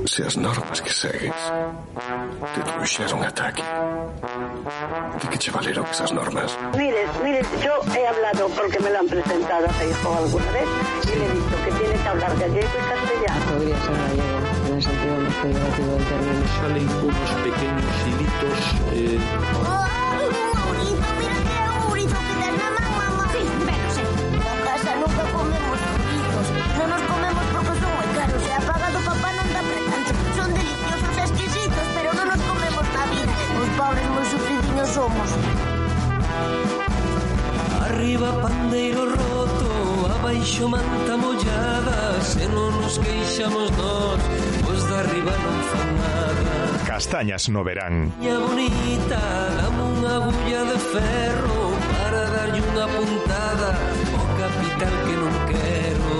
se as normas que segues te trouxeron ata aquí, de que che valeron esas normas? Mire, yo he hablado porque me lo han presentado a Feijóo alguna vez y le he dicho que tiene que hablar gallego y castellano. Podría ser gallego, en el sentido más peyorativo del término. Salen unos pequeños hilitos. Mira que é un burrito que tes na man, mamá. Sí, pero sí. Na casa nunca comemos burritos. Non nos comemos porque son moi caros. E a paga do papá non dá para tanto. Son deliciosos e exquisitos, pero non nos comemos na vida. Os pobres moi sufridiños somos. Arriba pandeiro roto, abaixo manta mollada. Se non nos queixamos nós, os de arriba non fan nada. Castañas no verán. Miña bonita, dame unha agulla de ferro para darlle unha puntada ao capital que non quero.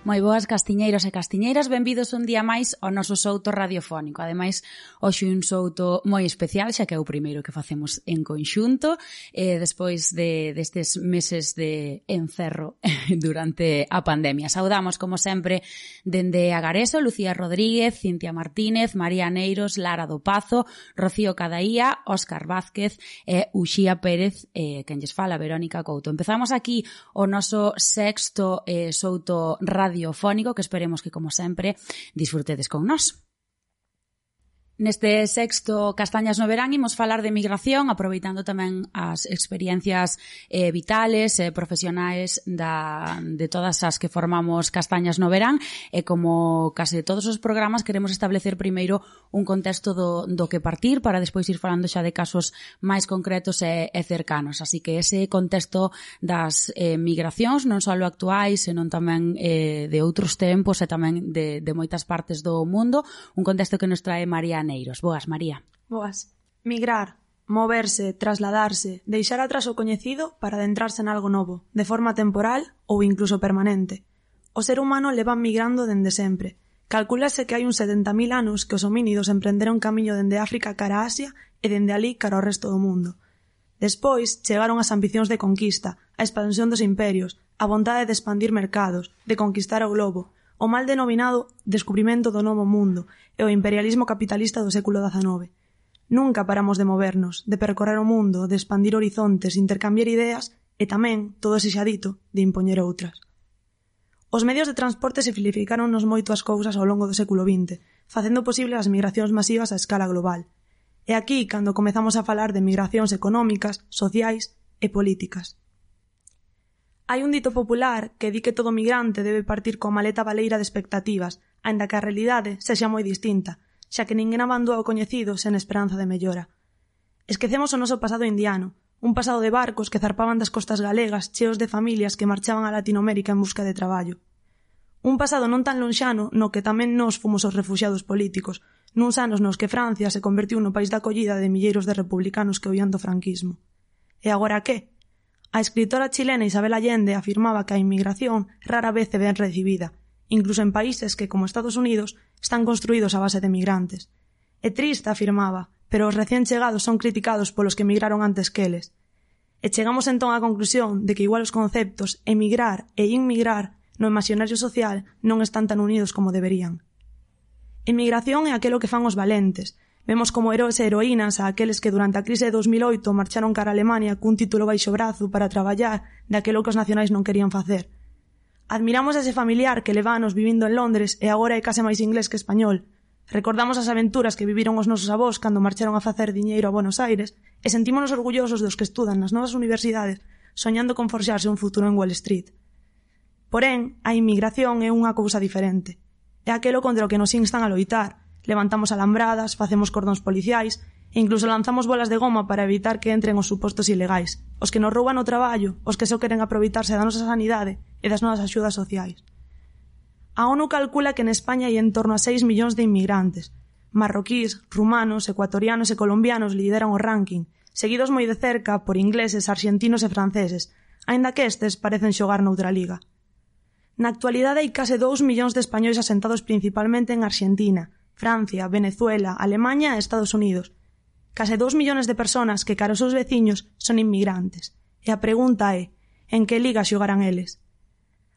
Moi boas castiñeiros e castiñeiras, benvidos un día máis ao noso souto radiofónico. Ademais, hoxe un souto moi especial, xa que é o primeiro que facemos en conxunto, despois destes meses de encerro durante a pandemia. Saudamos, como sempre, dende Agareso, Lucía Rodríguez, Cintia Martínez, María Neiros, Lara do Pazo, Rocío Cadaía, Óscar Vázquez e Uxía Pérez, quen lles fala, Verónica Couto. Empezamos aquí o noso sexto souto radiofónico que esperemos que, como sempre, disfrutedes con nós. Neste sexto Castañas no verán imos falar de migración, aproveitando tamén as experiencias vitales e profesionais de todas as que formamos Castañas no verán, e como case todos os programas queremos establecer primeiro un contexto do que partir para despois ir falando xa de casos máis concretos e cercanos. Así que ese contexto das migracións, non só actuais, senón tamén de outros tempos e tamén de moitas partes do mundo, un contexto que nos trae María Neiros. Boas, María. Boas. Migrar, moverse, trasladarse, deixar atrás o coñecido para adentrarse en algo novo, de forma temporal ou incluso permanente. O ser humano leva migrando dende sempre. Calcúlase que hai uns 70.000 anos que os homínidos emprenderon camiño dende África cara a Asia e dende alí cara ao resto do mundo. Despois chegaron as ambicións de conquista, a expansión dos imperios, a vontade de expandir mercados, de conquistar o globo, o mal denominado descubrimento do novo mundo e o imperialismo capitalista do século XIX. Nunca paramos de movernos, de percorrer o mundo, de expandir horizontes, intercambiar ideas e tamén, todo ese xa dito, de impoñer outras. Os medios de transporte simplificáronnos moito as cousas ao longo do século XX, facendo posible as migracións masivas a escala global. E aquí cando comezamos a falar de migracións económicas, sociais e políticas. Hai un dito popular que di que todo migrante debe partir coa maleta baleira de expectativas, aínda que a realidade sexa moi distinta, xa que ninguén abandona o coñecido sen esperanza de mellora. Esquecemos o noso pasado indiano, un pasado de barcos que zarpaban das costas galegas cheos de familias que marchaban a Latinoamérica en busca de traballo. Un pasado non tan lonxano no que tamén nós fomos os refuxiados políticos, nuns anos nos que Francia se convertiu no país da acollida de milleiros de republicanos que huían do franquismo. E agora que? A escritora chilena Isabel Allende afirmaba que a inmigración rara vez é ben recibida, incluso en países que, como Estados Unidos, están construídos a base de migrantes. É triste, afirmaba, pero os recién chegados son criticados polos que emigraron antes que eles. E chegamos entón á conclusión de que igual os conceptos emigrar e inmigrar no imaxinario social non están tan unidos como deberían. Emigración é aquelo que fan os valentes. Vemos como heróis e heroínas a aqueles que durante a crise de 2008 marcharon cara a Alemania cun título baixo brazo para traballar daquelo que os nacionais non querían facer. Admiramos ese familiar que leva anos vivindo en Londres e agora é case máis inglés que español. Recordamos as aventuras que viviron os nosos avós cando marcharon a facer diñeiro a Buenos Aires e sentímonos orgullosos dos que estudan nas novas universidades soñando con forxarse un futuro en Wall Street. Porén, a inmigración é unha cousa diferente. É aquelo contra o que nos instan a loitar. Levantamos alambradas, facemos cordóns policiais e incluso lanzamos bolas de goma para evitar que entren os supostos ilegais, os que nos rouban o traballo, os que só queren aproveitarse da nosa sanidade e das nosas axudas sociais. A ONU calcula que en España hai en torno a 6 millóns de inmigrantes. Marroquís, rumanos, ecuatorianos e colombianos lideran o ranking, seguidos moi de cerca por ingleses, arxentinos e franceses, aínda que estes parecen xogar noutra liga. Na actualidade hai case 2 millóns de españois asentados principalmente en Arxentina, Francia, Venezuela, Alemaña e Estados Unidos. Case 2 millones de personas que cara aos seus veciños son inmigrantes. E a pregunta é, en que liga xogarán eles?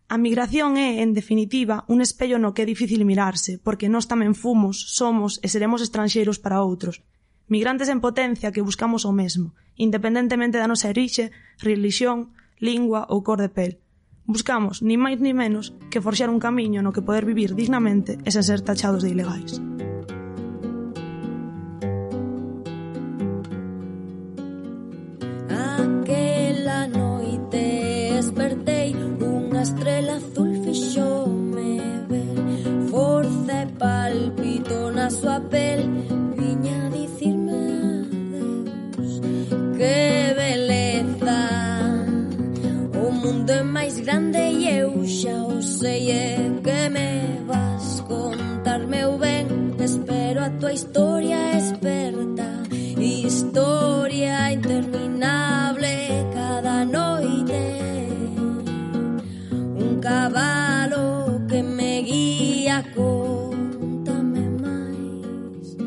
A migración é, en definitiva, un espello no que é difícil mirarse, porque nós tamén fomos, somos e seremos estranxeiros para outros. Migrantes en potencia que buscamos o mesmo, independentemente da nosa orixe, relixión, lingua ou cor de pel. Buscamos, ni máis ni menos, que forxar un camiño no que poder vivir dignamente e sen ser tachados de ilegais. Aquela noite despertei, unha estrela azul fixome ver, forza e palpito na súa pel, viña a dicirme adeus. Que beleza, o mundo é máis grande e eu xa o sei, e que me vas contar, meu ben, espero a tua historia experta, historia interminable cada noite, un cabalo que me guía, contame máis,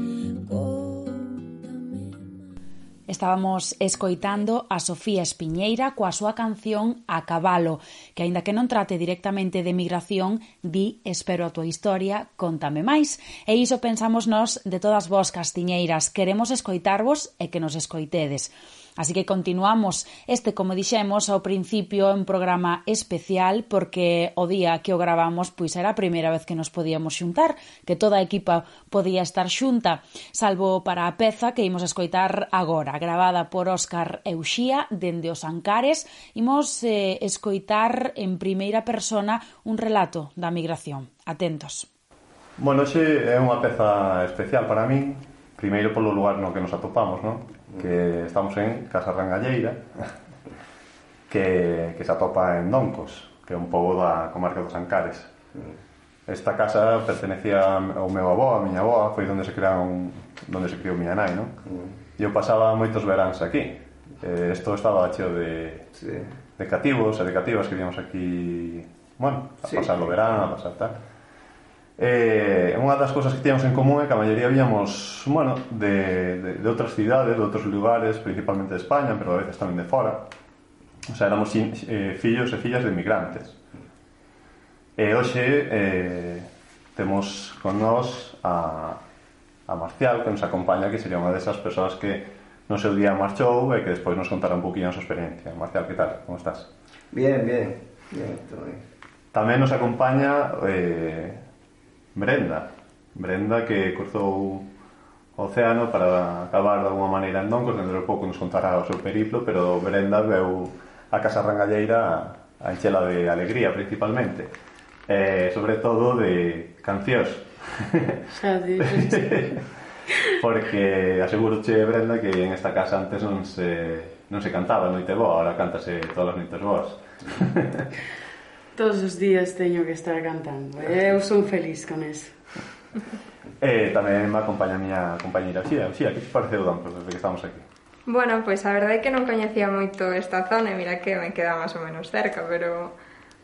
contame máis. Estábamos escoitando a Sofía Espiñeira coa súa canción A Cabalo, que aínda que non trate directamente de migración, di espero a tua historia, contame máis. E iso pensamos nós de todas vós, castiñeiras, queremos escoitarvos e que nos escoitedes. Así que continuamos este, como dixemos ao principio, un programa especial porque o día que o gravamos pois era a primeira vez que nos podíamos xuntar, que toda a equipa podía estar xunta, salvo para a peza que imos escoitar agora, gravada por Óscar Euxía dende os Ancares. Imos escoitar en primeira persona un relato da migración. Atentos. Bueno, xe é unha peza especial para min, primeiro polo lugar no que nos atopamos, non? Que estamos en Casa Rangalleira, que se atopa en Doncos, que é un pobo da comarca dos Ancares. Esta casa pertenecía ao meu avó, a miña avó, foi onde se criou miña nai, non? E eu pasaba moitos veráns aquí. Isto estaba cheo de cativos e de cativas que víamos aquí, bueno, a pasar o verán, a pasar tal. Unha das cousas que tíamos en común é que a maioría víamos, bueno, de outras cidades, de outros lugares, principalmente de España, pero a veces tamén de fora. O sea, éramos fillos e fillas de migrantes. E hoxe temos con nós a Marcial, que nos acompaña, que sería unha desas persoas que no seu día marchou e que despois nos contará un poquinho a súa experiencia. Marcial, que tal? Como estás? Bien, todo bien. Tamén nos acompaña Brenda, que cruzou o océano para acabar de alguma maneira en Doncos. Dentro de pouco nos contará o seu periplo, pero Brenda veu a Casa Rangalleira a enchela de alegría principalmente, sobre todo de cancións. Porque aseguroche, Brenda, que en esta casa antes non se cantaba noite boa, ahora cántase todas as noites boas. Todos os días teño que estar cantando. Eu son feliz con eso. Tamén me acompaña a miña compañeira Xía. Xía, que te pareceu Doncos desde que estamos aquí? Bueno, pois a verdade é que non coñecía moito esta zona e mira que me queda máis ou menos cerca, pero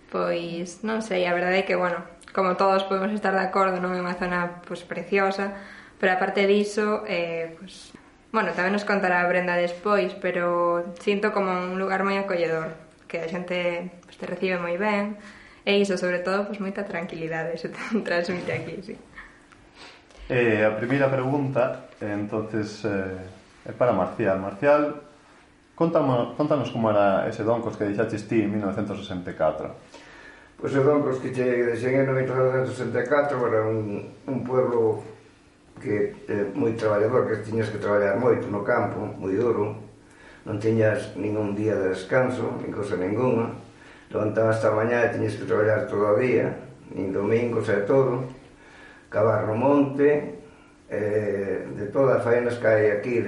pois non sei, a verdade é que, bueno, como todos podemos estar de acordo, non é unha zona pois preciosa, pero aparte diso, pois, bueno, tamén nos contará a Brenda despois, pero sinto como un lugar moi acolledor, que a xente pois, te recibe moi ben, e iso, sobre todo, pois moita tranquilidade se transmite aquí, sí. A primeira pregunta, entonces, é para Marcial. Marcial, contanos como era ese Doncos que deixaches ti en 1964. Pois o Doncos que deixei en 1964 era un pueblo que é moi traballador, que tiñas que traballar moito no campo, moi duro, non tiñas ningún día de descanso, nin cosa ninguna, levantabas hasta a mañá e tiñas que traballar todo o día, nin domingos e todo, cavar no monte, de todas as faenas que hai aquí,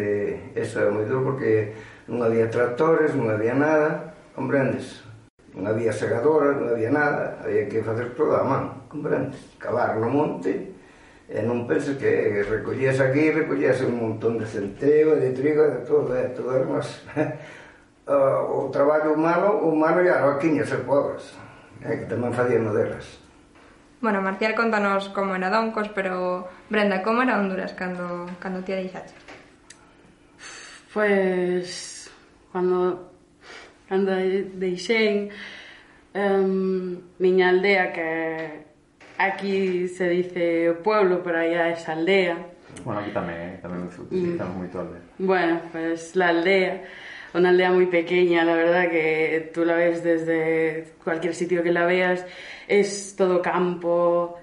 eso é moi duro porque non había tractores, non había nada, comprendes? Non había segadora, non había nada, había que facer todo a man, comprendes? Cavar no monte, e non penses que recollías aquí, recollías un montón de centeo, de trigo, de todo era máis... O traballo humano e as vaquiñas e pobres, que tamén facían delas. Bueno, Marcial, contanos como era Doncos, pero Brenda, como era Honduras cando ti a deixaches? Pues, cando deixei, Miña aldea, que aquí se dice pueblo, pero allá es aldea. Bueno, aquí tamén utilizamos moito aldea. Bueno, pues la aldea, una aldea muy pequeña, la verdad que tú la ves desde cualquier sitio que la veas, es todo campo,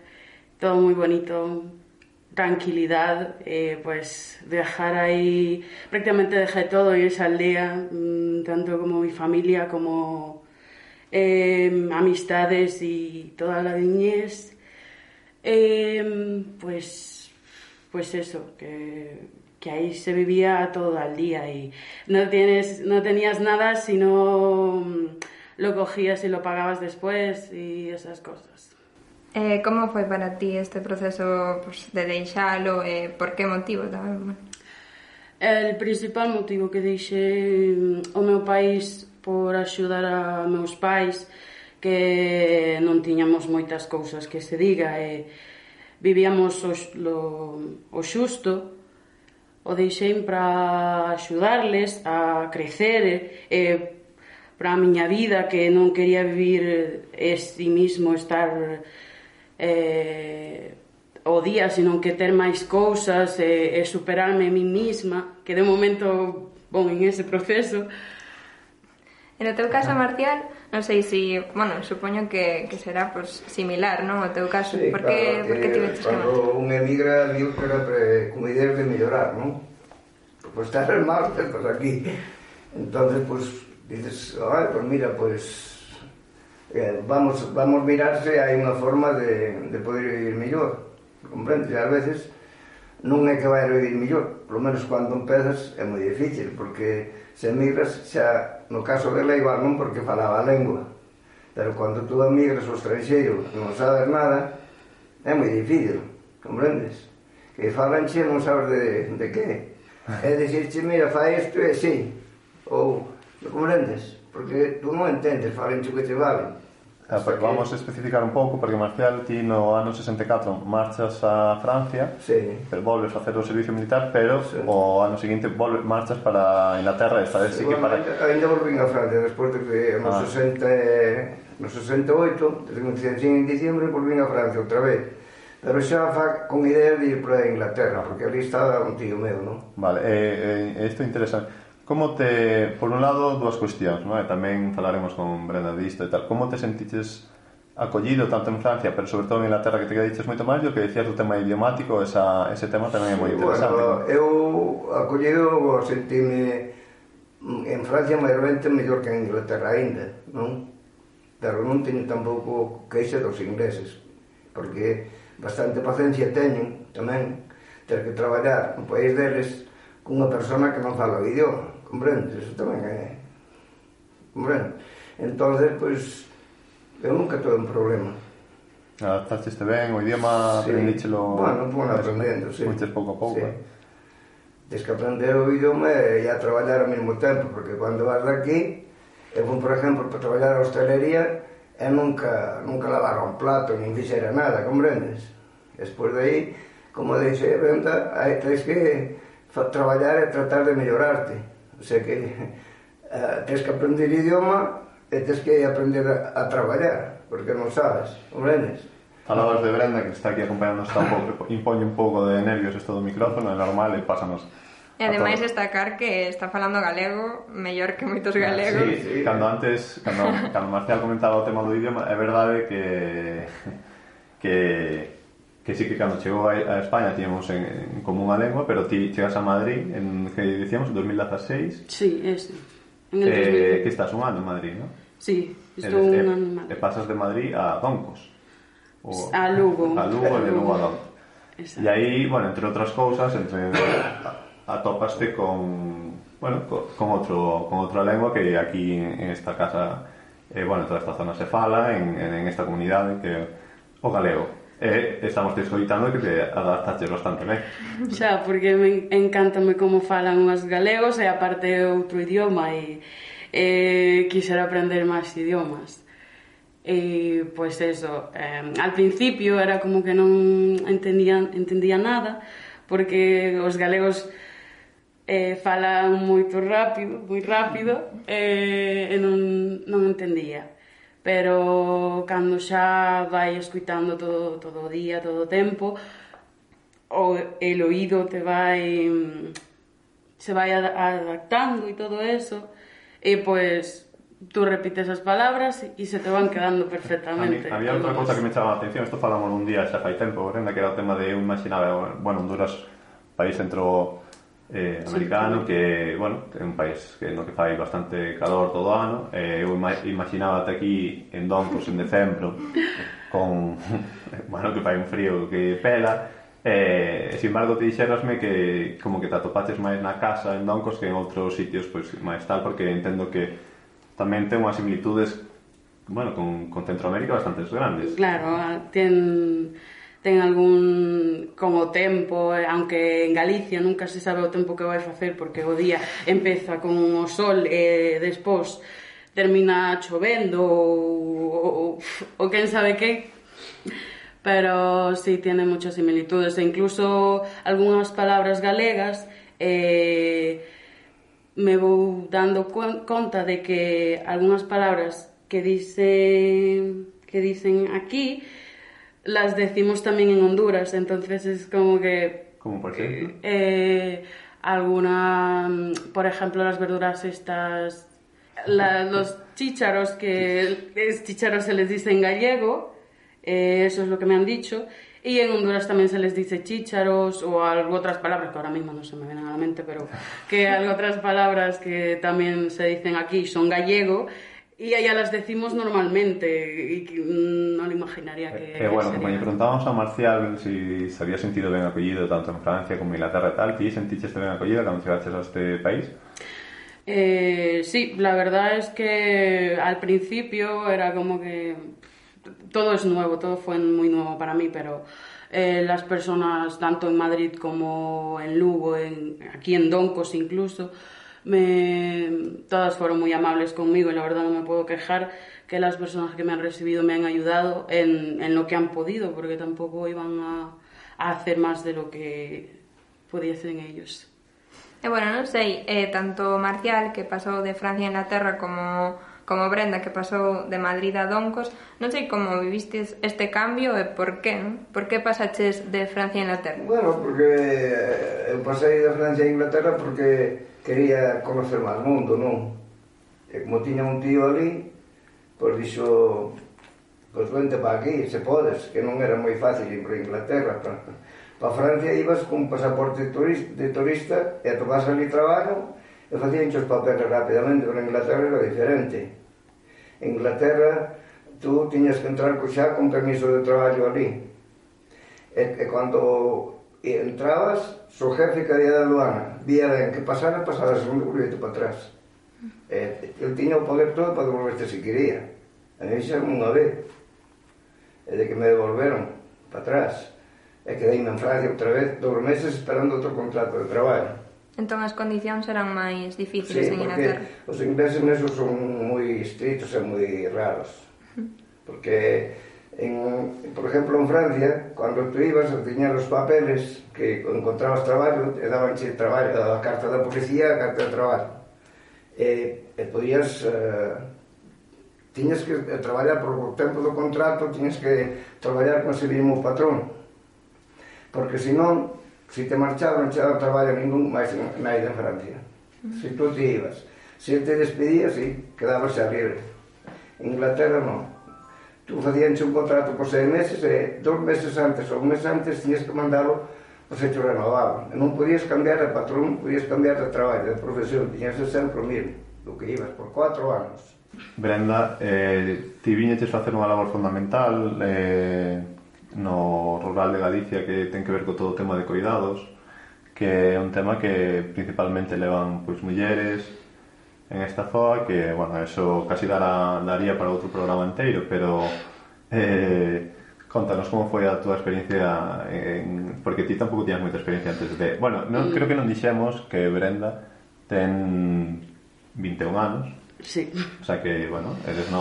todo muy bonito, tranquilidad, pues viajar ahí, prácticamente dejé todo en esa aldea, tanto como mi familia como amistades y toda la niñez, pues eso, que ahí se vivía todo el día y no tenías nada si no lo cogías y lo pagabas después y esas cosas. Como foi para ti este proceso pues, de deixalo e por que motivo tamén? El principal motivo que deixei o meu país por axudar a meus pais, que non tiñamos moitas cousas que se diga e vivíamos o xusto, o deixei para axudarles a crecer e para a miña vida, que non quería vivir este mismo, estar o día, sino que ter máis cousas e superarme a mí misma, que de momento vou en ese proceso. En o teu caso, Marcial, non sei se, bueno, supoño que será pues, similar, non? O teu caso, sí, por que tivestes que marchar? Cando un emigra, digo que era como ideas de mellorar, non? Pues estar mal, pues aquí. Entonces, pues, dices, ay, pues mira, pues vamos mirar se hai unha forma de poder vivir mellor, comprendes? E ás veces non é que vai a vivir mellor, polo menos cando empezas é moi difícil, porque se emigras xa, no caso dela igual non porque falaba a lengua, pero cando tú emigras ao estranxeiro non sabes nada, é moi difícil, comprendes? Que falanche non sabes de que é dicirche, mira, fai isto e sí, ou, comprendes? Porque tú non entendes, falanche o que te vale. Pues vamos a especificar un pouco, porque Marcial, ti no ano 64 marchas a Francia, sí, pero volves a hacer o servicio militar, pero sí, o ano seguinte marchas para Inglaterra, esta vez sí que para... Ainda volvín a Francia, despois de que no 68, desde que me en diciembre, volvín a Francia outra vez. Pero xa con ideas de ir para Inglaterra, porque ali estaba un tío meu, non? Vale, isto é interesante. Como te, por un lado, dúas cuestións, non? E tamén falaremos con Brenda disto e tal. Como te sentiches acollido tanto en Francia, pero sobre todo en Inglaterra, que te diches moito máis, o que decías do tema idiomático, ese tema tamén é moi interesante. Bueno, eu acollido sentime en Francia mayormente mellor que en Inglaterra aínda, non? Pero non teño tampouco queixa dos ingleses, porque bastante paciencia teñen tamén ter que traballar no país deles cunha persona que non fala o idioma, comprendes? Eso tamén é... comprendes? Entonces, pois, eu nunca tuve un problema. Adaptaste ben, o idioma sí, aprendíchelo... Bueno, aprendendo, sí. Moites pouco a pouco. Sí. Tens que aprender o idioma e a traballar ao mesmo tempo, porque cando vas daqui, eu fui, por exemplo, para traballar a hostelería, e nunca lavara un plato, nin fixera nada, comprendes? Despois de aí, como dixe Brenda, tens que traballar e tratar de mellorarte, o sea que tens que aprender idioma e tens que aprender a traballar, porque non sabes, comprendes? Falabas de Brenda, que está aquí acompañándonos tampouco, impone un pouco de nervios isto do micrófono, é normal e pásanos. E ademais destacar que está falando galego mellor que moitos galegos. Sí, cando Marcial comentaba o tema do idioma, é verdade que sí que cando chegou a España tiñamos en común a lengua, pero ti chegas a Madrid en, que dicíamos, 2016. Sí, este. En el 2016. Que estás un ano en Madrid, ¿no? Sí, estou un ano en Madrid. E pasas de Madrid a Doncos. A Lugo. A Lugo e de Lugo a Doncos. E aí, bueno, entre outras cousas, atopaste con outra lengua que aquí en esta casa, bueno, en toda esta zona se fala, en esta comunidade, que é o galego. Estamos descoitando que te adaptaste bastante ben. Xa, porque encántame como falan os galegos e aparte outro idioma e quixera aprender máis idiomas. E, pois eso, al principio era como que non entendía nada, porque os galegos falan moito rápido, moi rápido, e non entendía. pero cando xa vai escuitando todo o día, todo o tempo, el oído se vai adaptando e todo eso, e pois tú repites as palabras e se te van quedando perfectamente. Había outra cosa que me chamaba a atención, isto falamos un día xa fai tempo, Brenda, que era o tema de, eu imaginaba, bueno, Honduras, país centroamericano, que, bueno, é un país no que fai bastante calor todo o ano, eu imaginaba ate aquí en Doncos en decembro, con, bueno, que fai un frío que pela, sin embargo te dixerasme que como que te atopaches máis na casa en Doncos que en outros sitios pois máis tal, porque entendo que tamén ten unhas similitudes, bueno, con Centroamérica bastantes grandes. Claro, ten algún como tempo, aunque en Galicia nunca se sabe o tempo que vai facer, porque o día empeza con o sol e despois termina chovendo ou quen sabe que. Pero sí, tiene muchas similitudes, e incluso algunhas palabras galegas me vou dando conta de que algunhas palabras que dicen aquí las decimos tamén en Honduras, entonces es como que... ¿Como por ejemplo? Por ejemplo, las verduras estas, los chícharos, que chícharos se les dice en gallego. Eso es lo que me han dicho, y en Honduras también se les dice chícharos o algo otras palabras que ahora mismo no se me vienen a la mente, pero que hay otras palabras que también se dicen aquí son gallego y allá las decimos normalmente y no lo imaginaría que bueno, sería. como lle preguntábamos a Marcial si se había sentido ben acollido tanto en Francia como en Inglaterra e tal, ti senticheste ben acollida cando chegaches a este país? Sí, la verdad es que al principio era como que todo es nuevo, todo fue muy nuevo para mí, pero las personas, tanto en Madrid como en Lugo, aquí en Doncos incluso, todas fueron muy amables conmigo y la verdad no me puedo quejar, que las personas que me han recibido me han ayudado en lo que han podido, porque tampoco iban a hacer más de lo que pudiesen ellos. Bueno, non sei, tanto Marcial, que pasou de Francia a Inglaterra, como Brenda, que pasou de Madrid a Doncos, non sei como vivistes este cambio e por qué, non? Por que pasaches de Francia a Inglaterra? Bueno, porque eu pasei de Francia a Inglaterra porque quería conocer máis mundo, non? E como tiña un tío ali, pois dixo, pois vente para aquí, se podes, que non era moi fácil ir para Inglaterra. Para Francia ibas con un pasaporte de turista e atopás ali traballo e facían os papeles rapidamente, pero en Inglaterra era diferente. En Inglaterra tú tiñas que entrar xa con permiso de traballo ali. E cando entrabas, o jefe que había da aduana vía ben que pasara segundo bulleto para atrás. El tiña o poder todo para devolverte se quería. A mí xa unha vez. E de que me devolveron para atrás. E quedeime en Francia outra vez 2 meses esperando outro contrato de traballo. Entón as condicións eran máis difíciles en Inglaterra. Sí, porque os ingleses nesos son moi estritos e moi raros. Porque, por exemplo, en Francia, cando tú ibas a tiñar os papeles que encontrabas traballo, e dabanche traballo, a carta da policía, a carta de traballo. E podías... tiñas que traballar por o tempo do contrato, tiñas que traballar con ese mismo patrón. Porque, senón, si te marchaban, non chegaba traballo ningún máis naide en Francia. Se tú te ibas. Se te despedías, sí, quedabas xa libre. En Inglaterra, non. Tú facíanche un contrato por 6 meses e 2 meses antes ou un mes antes tiñas que mandalo por fecho renovado. E non podías cambiar de patrón, podías cambiar de traballo, de profesión. Tiñas que ser o mismo, do que ibas por 4 anos. Brenda, ti viñeches facer unha labor fundamental no rural de Galicia que ten que ver co todo o tema de cuidados, que é un tema que principalmente levan pois mulleres en esta zoa, que, bueno, eso casi daría para outro programa inteiro, pero contanos como foi a túa experiencia porque ti tampouco tiñas moita experiencia antes de... Bueno, creo que non dixemos que Brenda ten 21 anos. Sí. O sea que, bueno, eres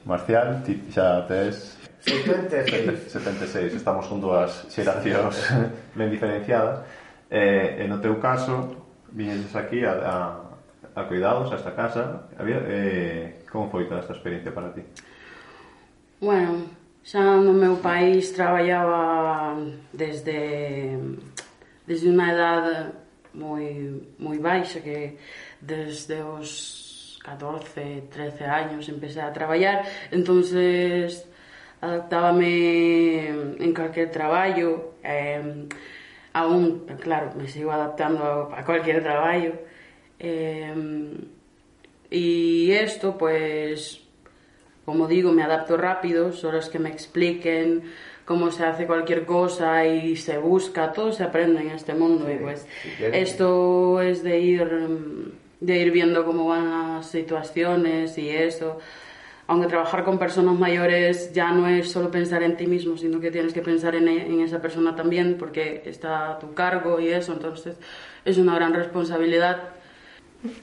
Marcial, ti xa tes 76, estamos con dúas xeracións ben diferenciadas. E no teu caso, viñeses aquí a cuidados, a esta casa. Como foi toda esta experiencia para ti? Bueno, xa no meu país traballaba desde unha edade moi baixa, que desde os 14, 13 años empecé a traballar, entonces adaptábame en cualquier traballo, aún, claro, me sigo adaptando a cualquier traballo, y esto, pues, como digo, me adapto rápido, solo es que me expliquen cómo se hace cualquier cosa y se busca, todo se aprende en este mundo, y pues esto es de ir viendo cómo van las situaciones y eso. Aunque trabajar con personas mayores ya no es solo pensar en ti mismo, sino que tienes que pensar en esa persona también, porque está a tu cargo y eso, entonces es una gran responsabilidad.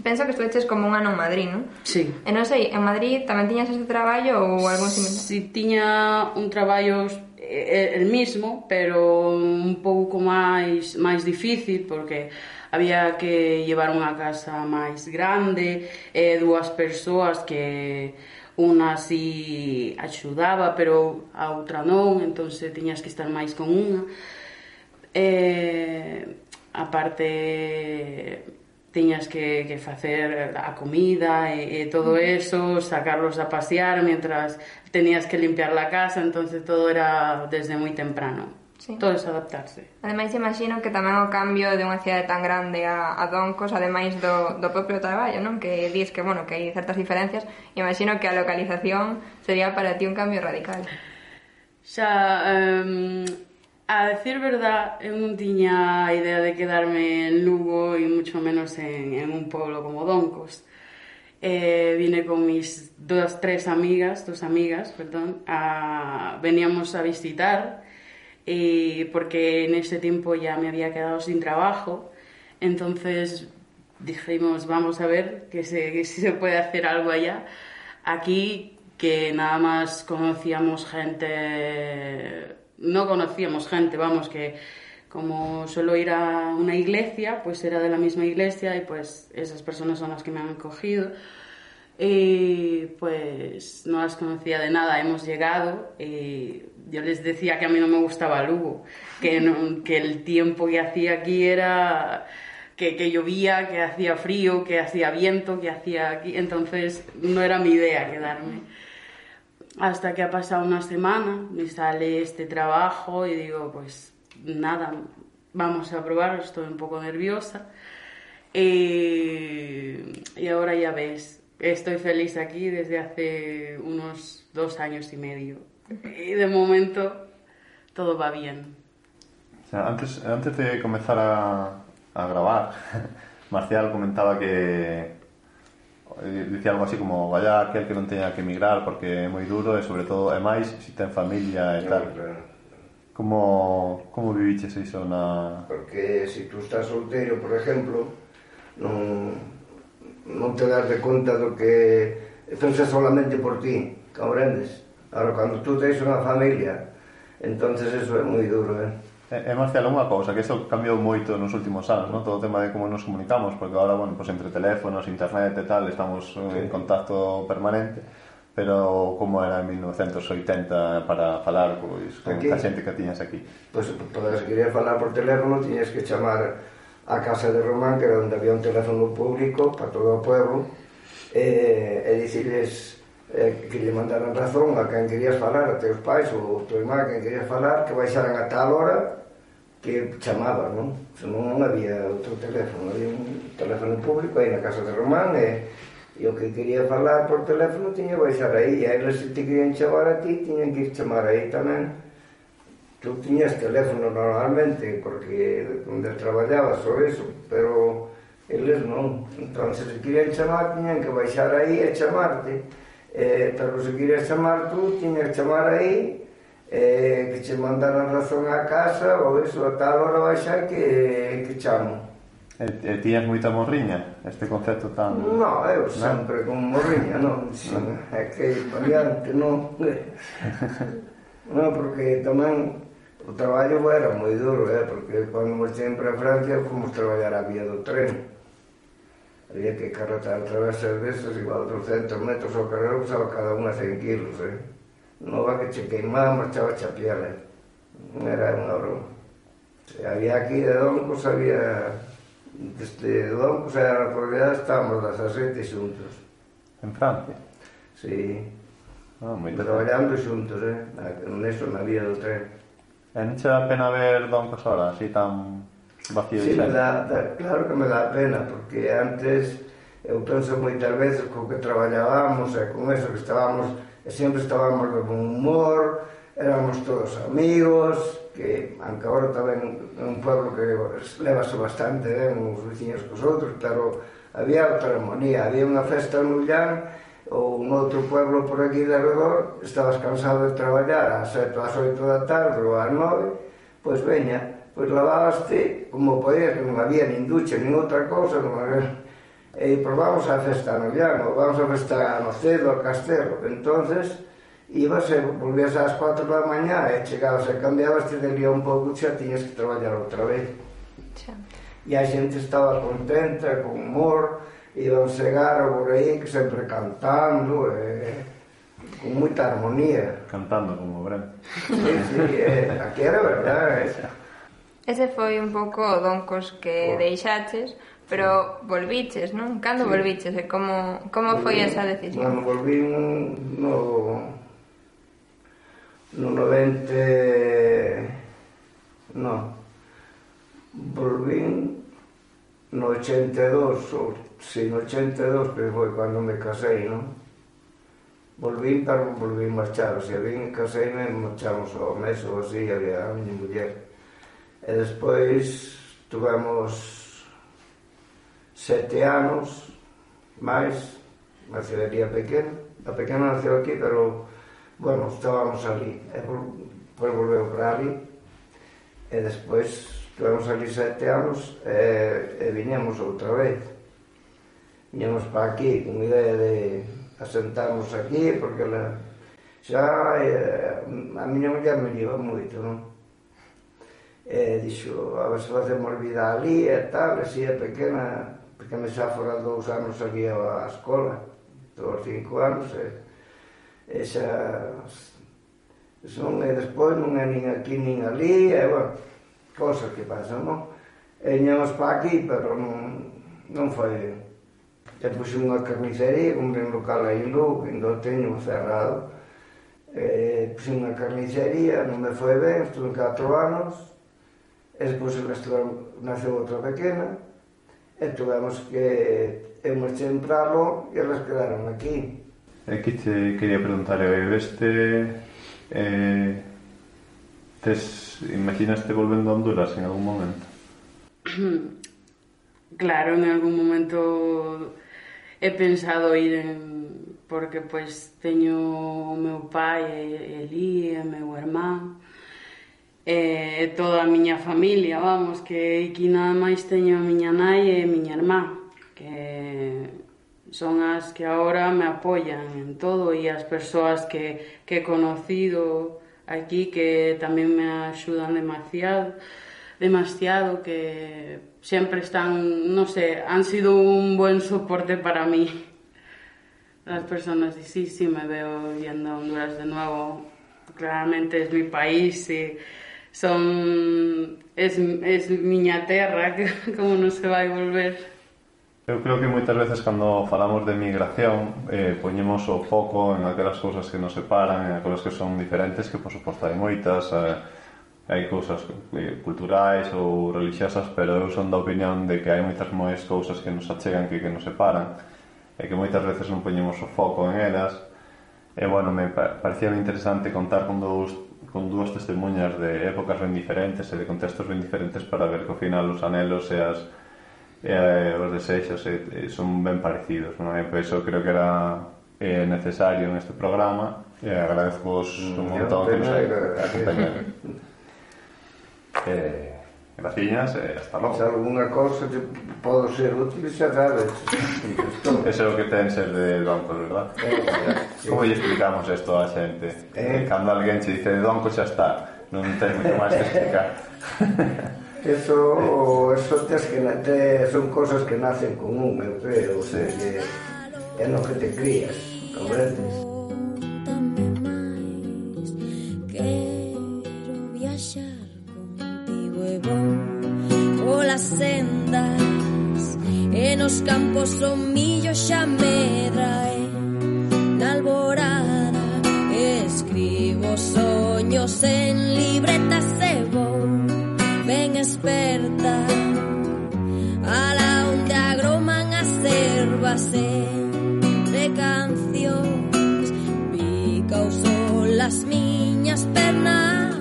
Penso que estuveches como un ano en Madrid, non? Sí. E non sei, en Madrid tamén tiñas este traballo ou algún similar? Sí, tiña un traballo el mismo, pero un pouco máis difícil, porque había que llevar unha casa máis grande, dúas persoas que unha si axudaba, pero a outra non, entón tiñas que estar máis con unha. Aparte, tiñas que facer a comida e todo eso, sacarlos a pasear mientras tenías que limpiar la casa, entonces todo era desde moi temprano. Sí. Todo es adaptarse. Ademais, imagino que tamén o cambio de unha cidade tan grande a Doncos, ademais do propio traballo, non? Que dis que, bueno, que hai certas diferencias, imagino que a localización sería para ti un cambio radical. Xa, a decir verdad, eu non tiña a idea de quedarme en Lugo e mucho menos en un pueblo como Doncos. Vine con mis dos amigas, veníamos a visitar, porque en ese tiempo ya me había quedado sin trabajo, entonces dijimos, vamos a ver que si se puede hacer algo allá. Aquí, que nada más conocíamos gente, vamos, que como suelo ir a una iglesia, pues era de la misma iglesia y pues esas personas son las que me han acogido. Y pues no las conocía de nada, hemos llegado y yo les decía que a mí no me gustaba Lugo, que el tiempo que hacía aquí era que llovía, que hacía frío, que hacía viento, que hacía aquí, entonces no era mi idea quedarme. Hasta que ha pasado una semana, me sale este trabajo y digo, pues nada, vamos a probarlo, estoy un poco nerviosa. Y ahora ya ves, estoy feliz aquí desde hace unos 2 años y medio. Y de momento todo va bien. O sea, antes de comenzar a grabar, Marcial comentaba que dicía algo así como vaya aquel que non teña que emigrar porque é moi duro e sobre todo é máis se ten familia e tal. Como viviches iso na... Porque se tú estás solteiro, por exemplo, non te das de conta do que pensa solamente por ti, comprendes? Ahora, cando tú tens unha familia, entonces eso é moi duro, Marcial, unha cousa, que iso cambiou moito nos últimos anos, non? Todo o tema de como nos comunicamos, porque agora, bueno, pues entre teléfonos, internet e tal, estamos en contacto permanente, pero como era en 1980 para falar pois, con a xente que tiñas aquí? Pois, se querías falar por teléfono, tiñas que chamar a casa de Román, que era onde había un teléfono público para todo o pueblo, e dicirles que lle mandaran razón a quen querías falar, a teus pais ou a tua irmá, quen querías falar, que baixaran a tal hora que chamaban, non? Senón non había outro teléfono, había un teléfono público aí na casa de Román e o que quería falar por teléfono tiña que baixar aí, e eles se te querían chamar a ti tiñan que ir chamar aí tamén. Tú tiñas teléfono normalmente porque onde traballabas ou eso, pero eles non, entón se querían chamar tiñan que baixar aí e chamarte, pero se querías chamar tú tiñas que chamar aí, que che mandaran razón á casa ou eso, a tal hora baixar que chamo. E tiñas moita morriña, este concepto tan... No, eu sempre con morriña, non, é que variante, non. Non, porque tamén o traballo era moi duro, porque cando nos sempre a Francia fomos traballar a vía do tren. Había que carretar através das veces igual 200 metros ao carrero, usaba cada unha 100 kilos, nova que che queimamos, chava a piel, era unha broma. Había aquí de Doncos, había desde Doncos e a realidade estábamos 17 xuntos. En Francia? Sí, traballando xuntos, neso na vía do tren. E non che dá pena ver Doncos ahora, así tan vacío? Sí, claro que me dá pena, porque antes eu penso moitas veces co que traballábamos e con eso que estábamos, e sempre estábamos de bon humor, éramos todos amigos, que aunque agora tamén é un pueblo que levase bastante ben os veciños cos outros, pero había outra armonía, había unha festa no Ullán ou un outro pueblo por aquí de alrededor, estabas cansado de traballar ás 7 ou ás 8 da tarde ou ás 9, pois veña, pois lavabaste como podías, que non había nin ducha, nin outra cousa, non había... E pois vamos á festa no Ullán, ou vamos á festa no Cedo, ao Castelo. Entonces, ibas e volvías ás 4 da mañá e chegabas e cambiabas, te delía un pouco, xa tiñas que traballar outra vez. E a xente estaba contenta, con humor, iban chegar por aí que sempre cantando, con moita armonía. Cantando como Bren. Sí, aquí era verdade. Ese foi un pouco o Doncos que deixaches, pero volviches, non? Cando volviches e como foi esa decisión? Bueno, volví no 90... No. Volví no 82, sí, no 82, que foi cando me casei, non? Volví, pero volví marchar, o sea, vim e casei, me marchamos ao mes ou así, había a miña muller. E despois tuvemos 7 anos máis, na cidadería pequena. A pequena naceu aquí, pero, bueno, estábamos ali. E depois volveu para ali. E despois tivemos ali 7 anos e viñemos outra vez. Viñemos para aquí con idea de asentarnos aquí, porque xa a miña muller me lleva moito, non? E dixo, a ver se facemos vida ali e tal, e si é pequena, porque me xa fora 2 anos aquí á escola, 5 anos, e xa... E despois non é nin aquí nin ali, e, bueno, cosas que pasan, non? E viñamos para aquí, pero non foi ben. E puse unha carnicería, comprei un local aí en Lugo, que ainda teño cerrado. Puse unha carnicería, non me foi ben, estuve 4 anos, e despois naceu outra pequena, e tuvemos que eu marchei para lo e elas quedaron aquí. E que te quería preguntar, imaginaste volvendo a Honduras en algún momento? Claro, en algún momento he pensado ir porque pois teño o meu pai Elí, e meu irmán e toda a miña familia, vamos, que aquí nada máis teño a miña nai e a miña irmá, que son as que agora me apoian en todo, e as persoas que he conocido aquí que tamén me axudan demasiado, que sempre están, non sei, han sido un buen soporte para mí. Las personas, y sí, me veo yendo a Honduras de nuevo. Claramente es mi país, y es miña terra, como non se vai volver. Eu creo que moitas veces cando falamos de migración poñemos o foco en aquelas cousas que nos separan, en aquelas que son diferentes, que por suposto hai moitas, hai cousas culturais ou religiosas, pero eu son da opinión de que hai moitas máis cousas que nos achegan que nos separan, e que moitas veces non poñemos o foco en elas. E, bueno, me parecía interesante contar con dúas testemunhas de épocas ben diferentes e de contextos ben diferentes para ver que ao final os anhelos e os desexos son ben parecidos, non? E por iso creo que era necesario en este programa, e agradezco-vos un montón que nos acompañaron. Graciñas e hasta logo. Se alguna cousa que podo ser útil, xa sabes. Ese é o que ten ser de Doncos, verdad? Como lle explicamos isto á xente? Cando alguén che dice de Doncos xa está, non ten moito máis que explicar. Eso son cosas que nacen con un, eu creo, o sea, que é no que te crías, comprendes? viaxar contigo é bon polas sendas e nos campos o millo xa medra e na alborada escribo soños en libretas e vou ben experta ala onde agroman as ervas de cancións pica o sol as miñas pernas.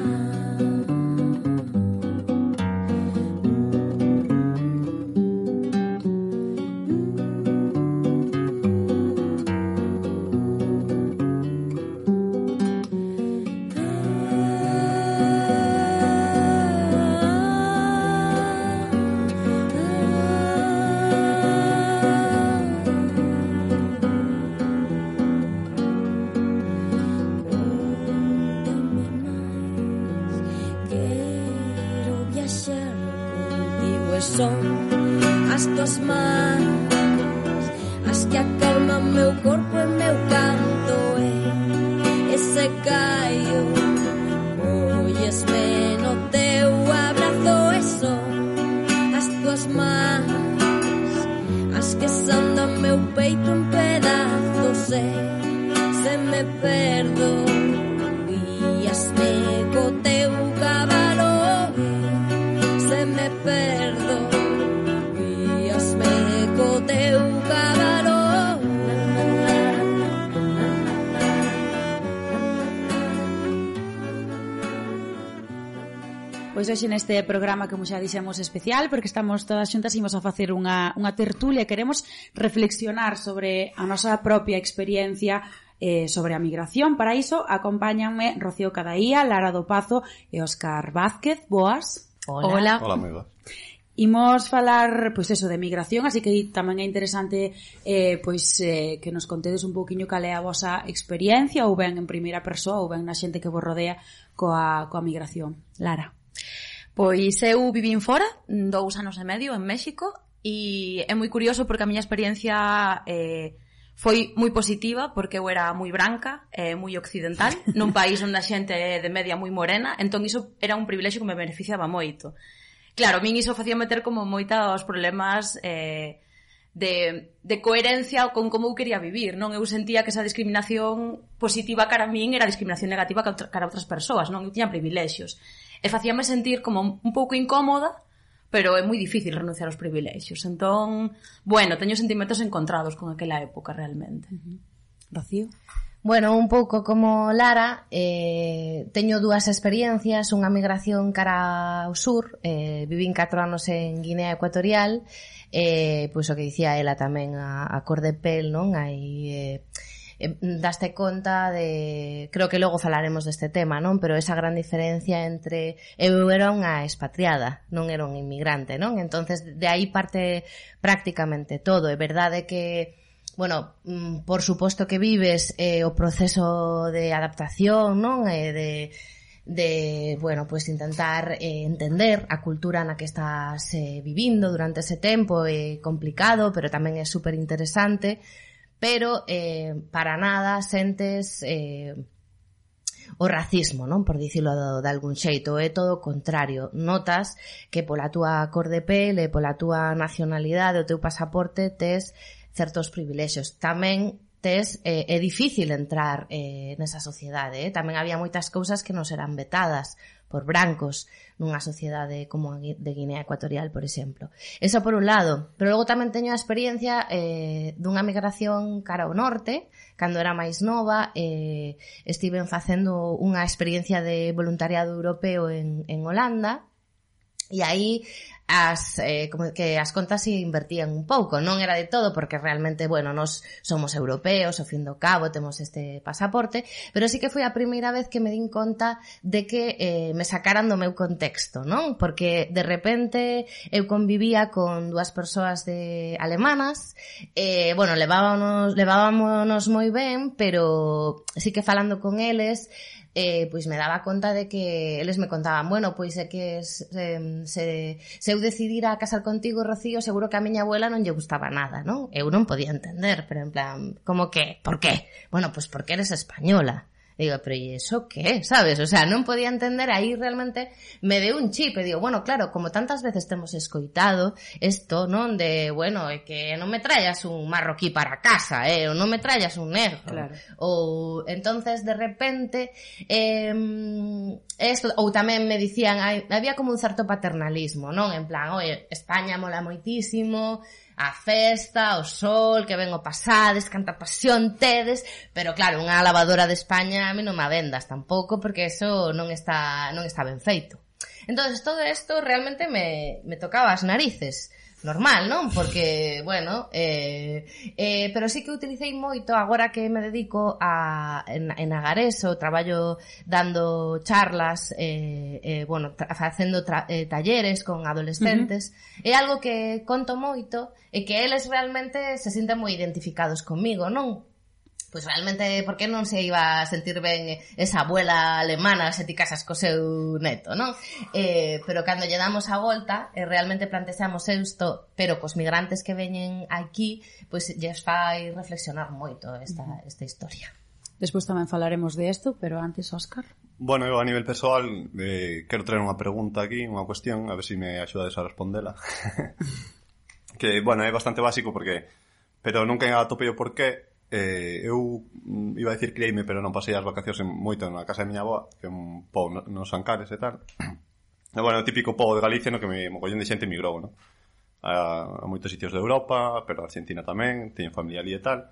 Son as tuas mans as que acalman meu corpo e meu canto e ese caio oyesme no teu abrazo e son as tuas mans as que sandan meu peito en pedazos e se me perdo guíasme co teu cabalo e se me perdo co teu cabalo. Pois hoxe neste programa, como xa dixemos, especial, porque estamos todas xuntas e imos a facer unha tertulia e queremos reflexionar sobre a nosa propia experiencia sobre a migración. Para iso acompáñanme Rocío Cadaía, Lara do Pazo e Óscar Vázquez. Boas. Hola. Hola, amigo. Imos falar, pois eso, de migración, así que tamén é interesante que nos contedes un pouquiño cal é a vosa experiencia, ou ben en primeira persoa, ou ben na xente que vos rodea coa migración. Lara. Pois eu vivín fora 2 anos e medio en México e é moi curioso porque a miña experiencia foi moi positiva porque eu era moi branca e moi occidental nun país onde a xente é de media moi morena, entón iso era un privilexio que me beneficiaba moito. Claro, a min iso facía meter como moitos problemas de coherencia con como eu quería vivir, non? Eu sentía que esa discriminación positiva cara a min era discriminación negativa cara a outras persoas, non? Eu tiña privilexios. E facíame sentir como un pouco incómoda, pero é moi difícil renunciar aos privilexios. Entón, bueno, teño sentimentos encontrados con aquela época realmente. Rocío? Bueno, un pouco como Lara, teño 2 experiencias, unha migración cara ao sur, vivín 4 anos en Guinea Ecuatorial, pois o que dicía ela tamén, a cor de pel, non? Aí daste conta de, creo que logo falaremos deste tema, non? Pero esa gran diferencia entre eu era unha expatriada, non era un inmigrante, non? Entonces de aí parte prácticamente todo. É verdade que, bueno, por suposto que vives o proceso de adaptación, non? De bueno, pues intentar entender a cultura na que estás vivindo durante ese tempo. É complicado, pero tamén é super interesante. Pero para nada sentes o racismo, non? Por dicilo de algún xeito, é todo o contrario. Notas que pola túa cor de pel e pola túa nacionalidade, o teu pasaporte, tes certos privilexios. Tamén é difícil entrar nesa sociedade, tamén había moitas cousas que nos eran vetadas por brancos nunha sociedade como a de Guinea Ecuatorial, por exemplo. Eso por un lado, pero logo tamén teño a experiencia dunha migración cara ao norte. Cando era máis nova estiven facendo unha experiencia de voluntariado europeo en Holanda, e aí como que as contas se invertían un pouco, non era de todo porque realmente, bueno, nós somos europeos, ao fin do cabo temos este pasaporte, pero sí que foi a primeira vez que me din conta de que me sacaran do meu contexto, non? Porque de repente eu convivía con 2 persoas alemanas, bueno, levábamos moi ben, pero sí que falando con eles pois me daba conta de que eles me contaban, bueno, pois é que se eu decidira casar contigo, Rocío, seguro que a miña abuela non lle gustaba nada, non? Eu non podía entender, pero en plan, como que, por qué? Bueno, pois porque eres española. Digo, pero ¿y eso qué? ¿Sabes? O sea, non podía entender, aí realmente me deu un chip e digo, bueno, claro, como tantas veces temos escoitado isto, non? De, bueno, é que non me traias un marroquí para casa, ou non me traias un negro. Claro. Ou, entonces, de repente, esto, ou tamén me dicían, había como un certo paternalismo, non? En plan, oye, España mola moitísimo, a festa, o sol, que ven o pasades, canta pasión tedes, pero claro, unha lavadora de España a mí non me vendas tampouco, porque eso non está ben feito. Entonces todo isto realmente me tocaba as narices. Normal, non? Porque, bueno, pero sí que utilicei moito agora que me dedico en Agareso, traballo dando charlas, bueno, facendo talleres con adolescentes, é algo que conto moito e que eles realmente se sinten moi identificados comigo, non? Pois realmente, por que non se iba a sentir ben esa abuela alemana se ti casas co seu neto, non? Pero cando lle damos a volta, realmente plantexamos isto, pero cos migrantes que veñen aquí, pois lles fai reflexionar moito esta historia. Despois tamén falaremos de isto, pero antes, Óscar. Bueno, eu a nivel persoal quero traer unha pregunta aquí, unha cuestión, a ver se me axudades a respondela. Que, bueno, é bastante básico pero nunca atopei o porqué. Eu iba a dicir criei-me, pero non pasei as vacacións moito na casa de miña avoa, que é un pobo nos Ancares e tal. E bueno, o típico pobo de Galicia no que mogollón de xente migrou, no? A moitos sitios de Europa, pero a Argentina tamén, teño familia ali e tal.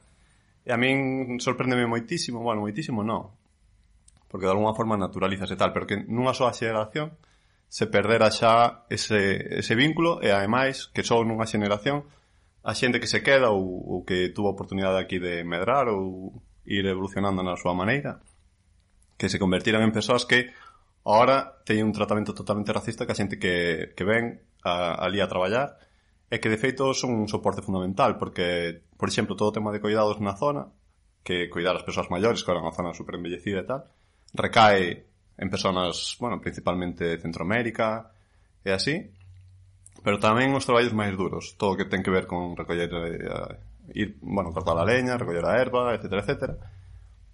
E a min sorpréndeme moitísimo, bueno, moitísimo non, porque de alguna forma naturalizas e tal, pero que nunha soa xeración se perdera xa ese vínculo, e ademais que só nunha xeración a xente que se queda ou que tuvo a oportunidade aquí de medrar ou ir evolucionando na súa maneira, que se convertiran en persoas que agora teñen un tratamento totalmente racista que a xente que ven ali a traballar, e que de feito son un soporte fundamental, porque, por exemplo, todo o tema de cuidados na zona, que cuidar as persoas maiores, que era unha zona super embellecida e tal, recae en persoas, bueno, principalmente de Centroamérica e así, pero tamén os traballos máis duros, todo o que ten que ver con recoller, cortar a leña, recoller a erva, etcétera, etcétera.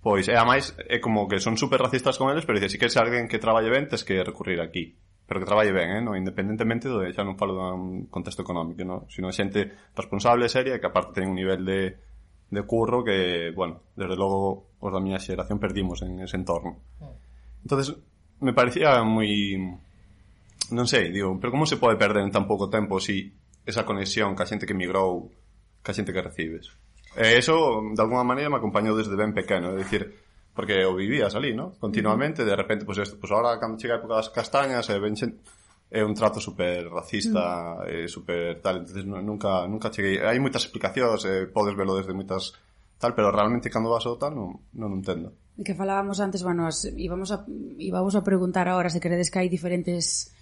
Pois, e ademais, é como que son super racistas con eles, pero dice, si queres alguén que traballe ben, tes que recurrir aquí. Pero que traballe ben, no? Independentemente xa non falo dun contexto económico, no? Sino xente responsable, seria, que aparte ten un nivel de curro que, bueno, desde logo os da miña xeración perdimos en ese entorno. Entonces, me parecía moi... Non sei, digo, pero como se pode perder en tan pouco tempo si esa conexión ca xente que migrou, ca xente que recibes? Eso, de alguna maneira, me acompañou desde ben pequeno, é dicir, porque o vivías ali, ¿no? Continuamente, de repente, pues ahora, cando chega a época das castañas, é un trato super racista, super tal, entonces nunca cheguei. Hai moitas explicacións, podes velo desde moitas tal, pero realmente cando vas ao tal non entendo. Que falábamos antes, bueno, íbamos a preguntar agora se credes que hai diferentes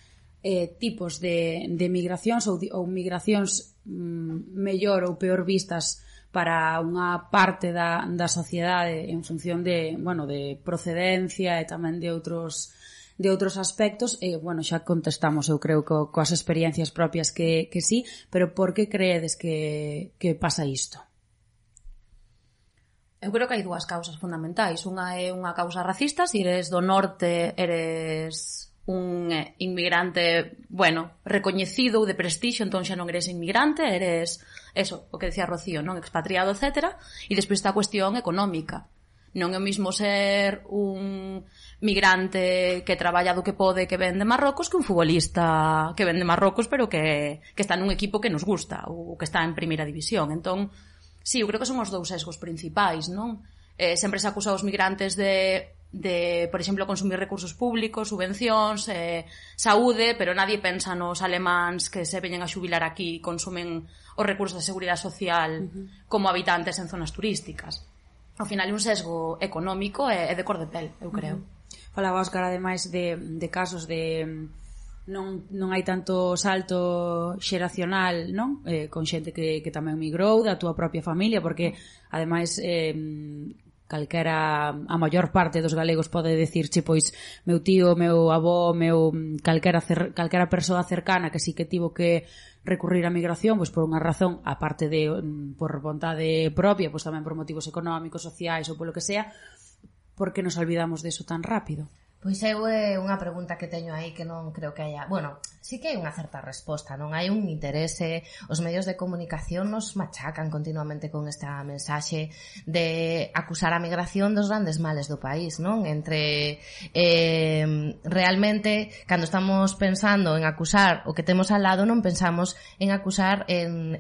tipos de migracións ou migracións mellor ou peor vistas para unha parte da sociedade en función de procedencia e tamén de outros aspectos, bueno, xa contestamos, eu creo, coas experiencias propias que sí, pero por que creedes que pasa isto? Eu creo que hai dúas causas fundamentais. Unha é unha causa racista, se eres do norte, eres un inmigrante, bueno, recoñecido ou de prestixio, entón xa non eres inmigrante, eres, eso, o que decía Rocío, non, expatriado, etc. E despois está a cuestión económica. Non é o mismo ser un migrante que traballa do que pode, que ven de Marrocos, que un futbolista que ven de Marrocos, pero que está nun equipo que nos gusta, ou que está en primeira división. Entón, sí, eu creo que son os dous sesgos principais, non? Sempre se acusa os migrantes de, por exemplo, consumir recursos públicos, subvencións, saúde, pero nadie pensa nos alemáns que se veñen a xubilar aquí e consumen os recursos de seguridade social como habitantes en zonas turísticas. Ao final é un sesgo económico e de cor de pel, eu creo. Falaba Óscar, ademais, de casos de non hai tanto salto xeracional, non? Con xente que tamén migrou da túa propia familia, porque ademais calquera, a maior parte dos galegos pode decirche, pois, meu tío, meu avó, calquera persoa cercana que sí que tivo que recurrir á migración, pois por unha razón, aparte de por vontade propia, pois tamén por motivos económicos, sociais ou polo que sea, por que nos olvidamos deso tan rápido? Pois eu é unha pregunta que teño aí que non creo que haya... Bueno, sí que hai unha certa resposta, non hai un interese. Os medios de comunicación nos machacan continuamente con esta mensaxe de acusar a migración dos grandes males do país, non? Entre realmente, cando estamos pensando en acusar o que temos al lado, non pensamos en acusar en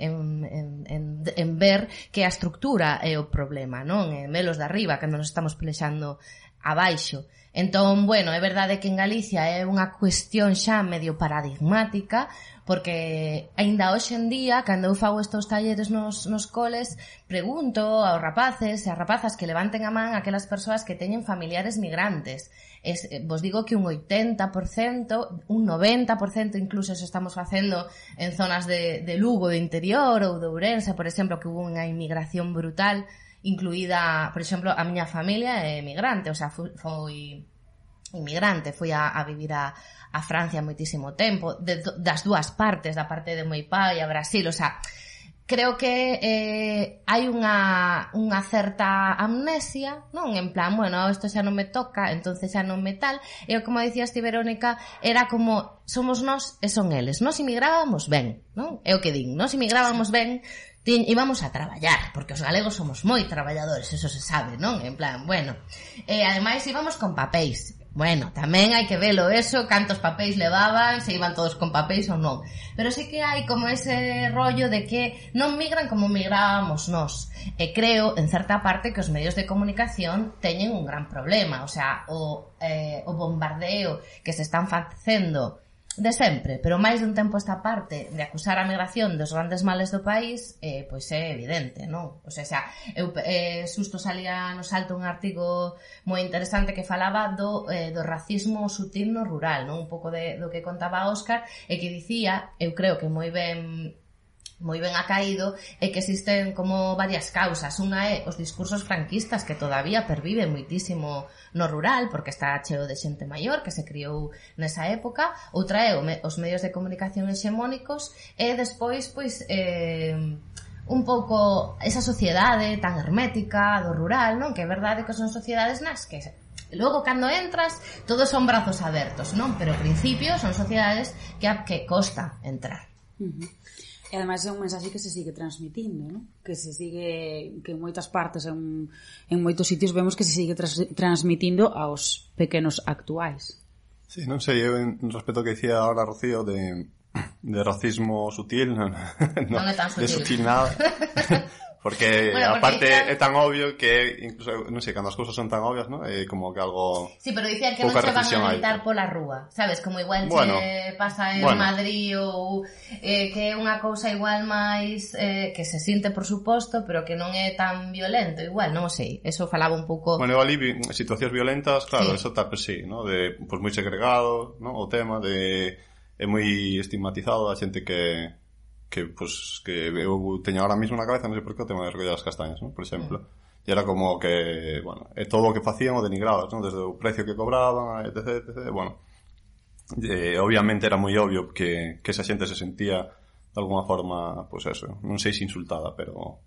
ver que a estructura é o problema, non? En velos de arriba, cando nos estamos pelexando abaixo. Entón, bueno, é verdade que en Galicia é unha cuestión xa medio paradigmática, porque aínda hoxe en día, cando eu fago estos talleres nos coles, pregunto aos rapaces e as rapazas que levanten a man aquelas persoas que teñen familiares migrantes. Vos digo que un 80%, un 90% incluso se estamos facendo en zonas de Lugo, de interior ou de Ourense, por exemplo, que hubo unha inmigración brutal, incluída, por exemplo, a miña familia é migrante, o sea, foi inmigrante, foi a vivir a Francia moitísimo tempo, das dúas partes, da parte de meu pai a Brasil, o sea, creo que hai unha certa amnesia, non? En plan, bueno, isto xa non me toca, entonces xa non me tal, e como dicías ti, Verónica, era como somos nós e son eles, nós emigrábamos ben, non? É o que din, nós emigrábamos ben, íbamos a traballar, porque os galegos somos moi traballadores, eso se sabe, non? En plan, bueno, ademais íbamos con papéis. Bueno, tamén hai que velo eso, cantos papéis levaban, se iban todos con papéis ou non. Pero sí que hai como ese rollo de que non migran como migrábamos nós. E creo, en certa parte, que os medios de comunicación teñen un gran problema. O sea, o bombardeo que se están facendo de sempre, pero máis dun tempo esta parte de acusar a migración dos grandes males do país, pois é evidente, non? O sea, eu susto salía no Salto un artigo moi interesante que falaba do racismo sutil no rural, non? Un pouco do que contaba Óscar, e que dicía, eu creo que moi ben acaído, é que existen como varias causas. Unha é os discursos franquistas que todavía perviven moitísimo no rural, porque está cheo de xente maior que se criou nesa época. Outra é os medios de comunicación hexemónicos, e despois, pois, un pouco esa sociedade tan hermética do rural, non? Que é verdade que son sociedades nas que logo, cando entras, todos son brazos abertos, non? Pero ao principio son sociedades que costa entrar. E ademais é un mensaxe que se sigue transmitindo, non? Que se sigue, que en moitas partes, en moitos sitios vemos que se sigue transmitindo aos pequenos actuais. Sí, non sei, eu respecto ao que dicía ahora Rocío de racismo sutil, non é tan sutil. De sutil nada. Porque, bueno, aparte é tan obvio que incluso, non sei, cando as cousas son tan obvias, non? É como que algo... Sí, pero dicían que non se van a gritar pola rúa, sabes? Como igual che pasa en Madrid ou que é unha cousa igual máis que se sinte, por suposto, pero que non é tan violento, igual, non sei. Eso falaba un pouco... Bueno, eu ali situacións violentas, claro, eso tá, pues sí, ¿no? De, pues moi segregado, ¿no? O tema de... É moi estigmatizado a xente que eu teño ahora mismo na cabeza, non sei por que, o tema de recoller as castañas, ¿no? Por exemplo. E era como que, bueno, todo o que facían o denigraban, ¿no? Desde o precio que cobraban, etc, etc. Bueno, obviamente era moi obvio que esa xente se sentía de alguna forma, pues eso, non sei se insultada, pero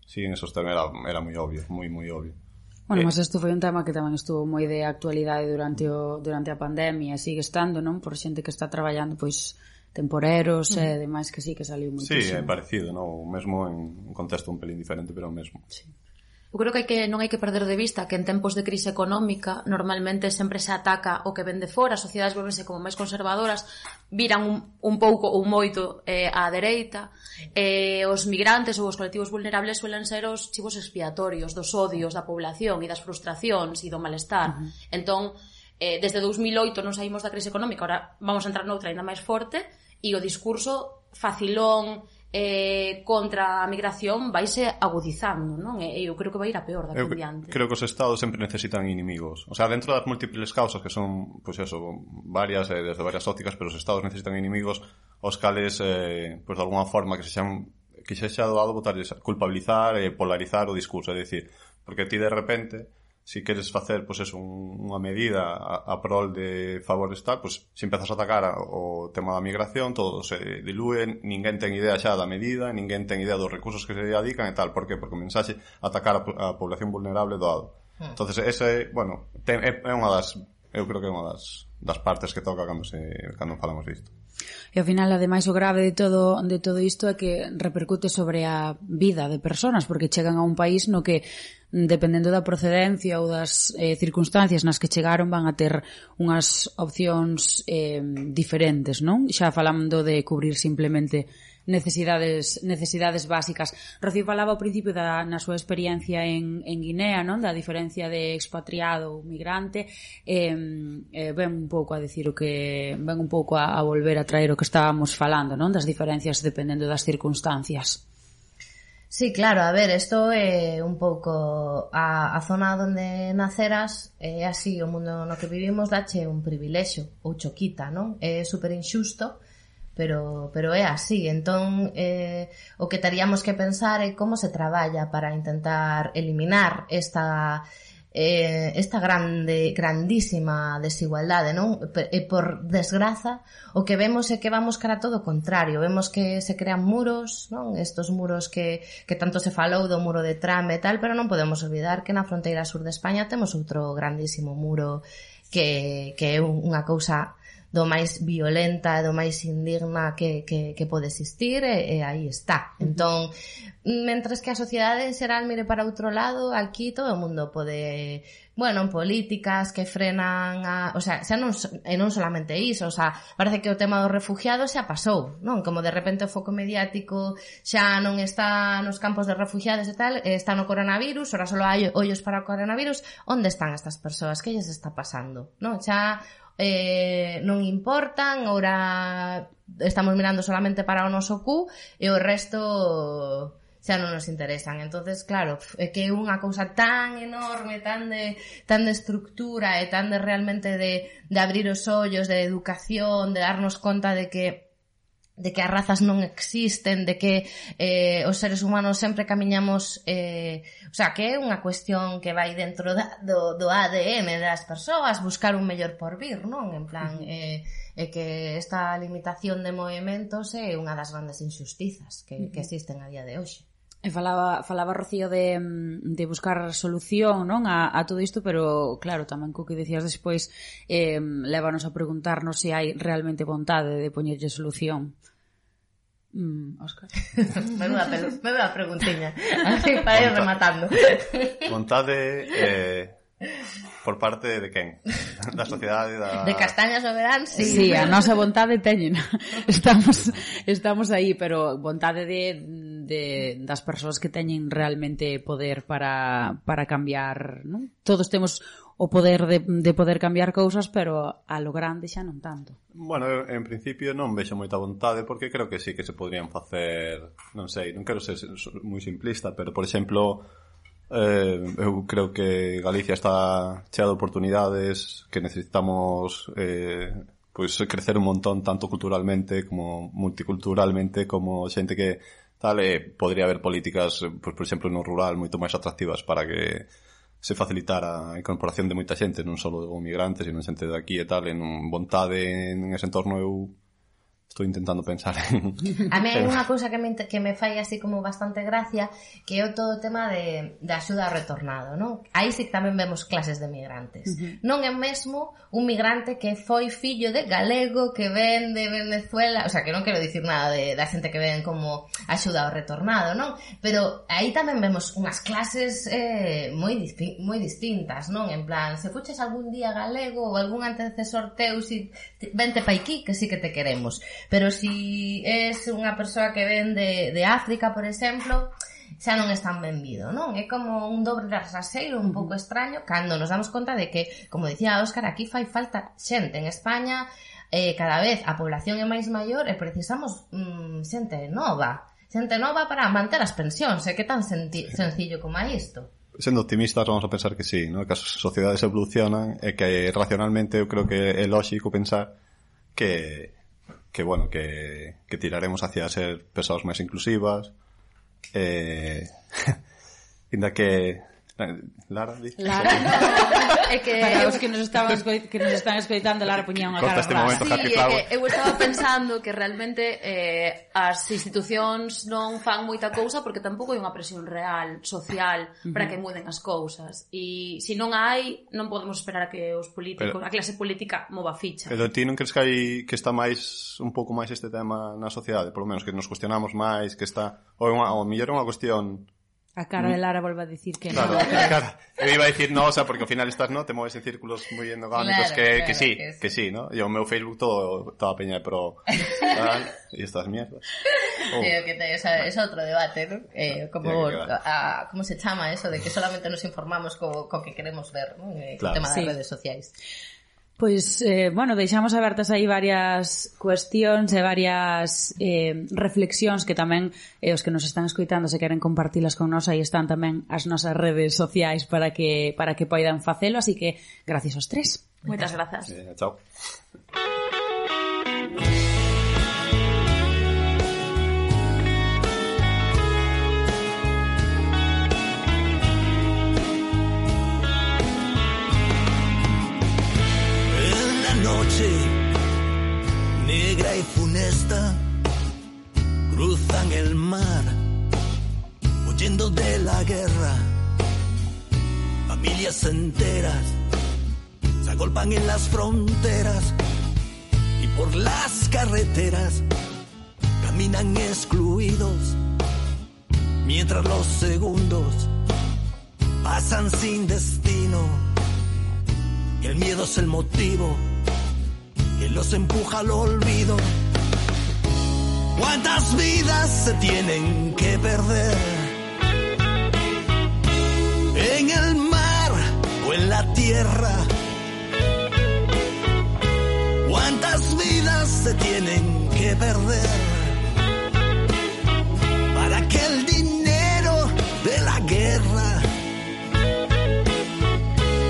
sí, en esos temas era moi obvio, moi obvio. Bueno, mas isto foi un tema que tamén estuvo moi de actualidade durante a pandemia, e sigue estando, non? Por xente que está traballando, pois, temporeros e demais, que sí que saliu moitísimo. Sí, é parecido, non? Mesmo en un contexto un pelín diferente, pero mesmo. Sí. Eu creo que non hai que perder de vista que en tempos de crise económica normalmente sempre se ataca o que ven de fora, as sociedades volvense como máis conservadoras, viran un pouco ou moito á dereita, os migrantes ou os colectivos vulnerables suelen ser os chivos expiatorios dos odios da población e das frustracións e do malestar. Entón, desde 2008 non saímos da crise económica, ahora vamos a entrar noutra ainda máis forte, e o discurso facilón contra a migración vaise agudizando, non? E eu creo que vai ir a peor daqui en diante. Creo que os estados sempre necesitan inimigos. O sea, dentro das múltiples causas que son, pues eso, varias, desde varias ópticas, pero os estados necesitan inimigos os cales, pues de alguna forma que se xa doado culpabilizar e polarizar o discurso, é dicir, porque ti de repente si queres facer, pois eso, unha medida a prol de favores tal, pois se empezas a atacar o tema da migración, todo se dilúe, ninguén ten idea xa da medida, ninguén ten idea dos recursos que se dedican e tal. Por que? Porque o mensaxe atacar a población vulnerable doado. Entonces, ese, bueno, é unha das, eu creo que é unha das partes que toca cando falamos disto. E ao final, ademais, o grave de todo isto é que repercute sobre a vida de persoas, porque chegan a un país no que, dependendo da procedencia ou das circunstancias nas que chegaron, van a ter unhas opcións diferentes, non? Xa falando de cubrir simplemente necesidades básicas. Rocío falaba ao principio na súa experiencia en Guinea, non? Da diferencia de expatriado ou migrante, ven un pouco a decir ven un pouco a volver a traer o que estábamos falando, non? Das diferencias dependendo das circunstancias. Sí, claro, a ver, isto é un pouco a zona onde naceras, é así, o mundo no que vivimos dache un privilexio ou choquita, non? É super injusto, pero é así. Entón, o que teríamos que pensar é como se traballa para intentar eliminar esta grandísima desigualdade, non? E por desgraza, o que vemos é que vamos cara a todo o contrario. Vemos que se crean muros, non? Estos muros que tanto se falou do muro de Trump e tal, pero non podemos olvidar que na fronteira sur de España temos outro grandísimo muro que é unha cousa do máis violenta e do máis indigna que pode existir, e aí está. Entón, mentres que a sociedade en xeral mire para outro lado, aquí todo o mundo pode, bueno, políticas que frenan o sea, xa non solamente iso, o sea, parece que o tema dos refugiados xa pasou, non? Como de repente o foco mediático xa non está nos campos de refugiados e tal, está no coronavirus, ora só hai ollos para o coronavirus. Onde están estas persoas? Que lles está pasando? Non? Xa non importan, ora estamos mirando solamente para o noso cu e o resto xa non nos interesan. Entonces, claro, é que é unha cousa tan enorme, tan de estructura e tan de realmente de abrir os ollos, de educación, de darnos conta de que as razas non existen, de que os seres humanos sempre camiñamos, o sea, que é unha cuestión que vai dentro do ADN das persoas, buscar un mellor porvir, non? En plan, que esta limitación de movimentos é unha das grandes injustizas que existen a día de hoxe. E falaba Rocío de buscar solución, non, a todo isto, pero claro, tamén co que decías despois, lévanos a preguntarnos se hai realmente vontade de poñerlle solución. Óscar. Menuda preguntiña. Así para ir rematando. Vontade por parte de quen? Da sociedade, de Castañas Noverán, sí. Sí, a nosa vontade teñen. Estamos aí, pero vontade das persoas que teñen realmente poder para cambiar, non? Todos temos o poder de poder cambiar cousas, pero a lo grande xa non tanto. Bueno, en principio non vexo moita vontade, porque creo que sí que se podrían facer, non sei, non quero ser moi simplista, pero, por exemplo, eu creo que Galicia está chea de oportunidades, que necesitamos pois crecer un montón, tanto culturalmente como multiculturalmente, como xente que tal, podría haber políticas, pois, por exemplo, no rural moito máis atractivas para que se facilitara a incorporación de moita xente, non só o migrantes, sino xente de aquí e tal, en vontade en ese entorno. Eu estou intentando pensar en... A mí hai unha cousa que me fai así como bastante gracia, que é todo o tema de axuda ao retornado, non? Aí sí tamén vemos clases de migrantes. Non é mesmo un migrante que foi fillo de galego, que ven de Venezuela, o sea, que non quero dicir nada da xente que ven como axuda ao retornado, non? Pero aí tamén vemos unhas clases moi distintas, non? En plan, se fuches algún día galego ou algún antecesor teu, si vente pa aquí, que sí que te queremos. Pero si es unha persoa que ven de África, por exemplo, xa non es tan benvido, non? É como un dobre raseiro un pouco extraño, cando nos damos conta de que, como dicía Óscar, aquí fai falta xente. En España cada vez a población é máis maior e precisamos xente nova para manter as pensións. É que tan sencillo como é isto. Sendo optimistas, vamos a pensar que sí, ¿no? Que as sociedades evolucionan e que racionalmente eu creo que é lógico pensar que bueno, que tiraremos hacia ser persoas máis inclusivas, inda que Lara, dice. Lara. É que para os que nos están escoitando, Lara poñía unha cara rasa. Sí, é que eu estaba pensando que realmente as institucións non fan moita cousa porque tampouco hai unha presión real, social, para que muden as cousas. E se non hai, non podemos esperar a que os políticos, a clase política mova ficha. Pero ti non crees que está máis un pouco máis este tema na sociedade? Por lo menos que nos cuestionamos máis, que está... Ou mellor é unha cuestión... A cara de Lara volve a dicir que claro, non. Claro, eu iba a dicir no, o sea, porque ao final estás, no, te moves en círculos moi endogámicos, claro, que sí, no? E o meu Facebook toda peña de pro e estas mierdas. Que es outro debate, ¿no? ¿Cómo se chama eso de que solamente nos informamos co que queremos ver, ¿no? Claro. O tema das redes sociais. Pois, bueno, deixamos abertas aí varias cuestións e varias reflexións que tamén os que nos están escoitando se queren compartilas con nós, aí están tamén as nosas redes sociais para que poidan facelo, así que gracias aos tres. Moitas grazas. Chao. Negra y funesta cruzan el mar huyendo de la guerra. Familias enteras se agolpan en las fronteras y por las carreteras caminan excluidos mientras los segundos pasan sin destino y el miedo es el motivo que los empuja al olvido. ¿Cuántas vidas se tienen que perder? En el mar o en la tierra. ¿Cuántas vidas se tienen que perder? Para que el dinero de la guerra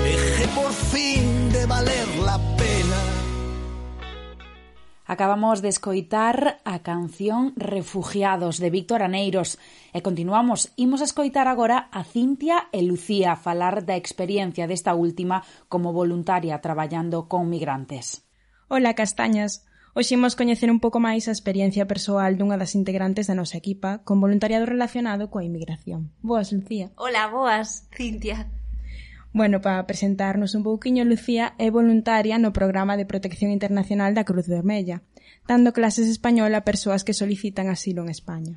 deje por fin de valer la pena. Acabamos de escoitar a canción Refugiados de Víctor Aneiros e continuamos. Imos a escoitar agora a Cintia e Lucía falar da experiencia desta última como voluntaria traballando con migrantes. Ola, castañas. Hoxe imos coñecer un pouco máis a experiencia persoal dunha das integrantes da nosa equipa con voluntariado relacionado coa inmigración. Boas, Lucía. Ola, boas, Cintia. Bueno, para presentarnos un pouquiño, Lucía é voluntaria no Programa de Protección Internacional da Cruz Vermella, dando clases español a persoas que solicitan asilo en España.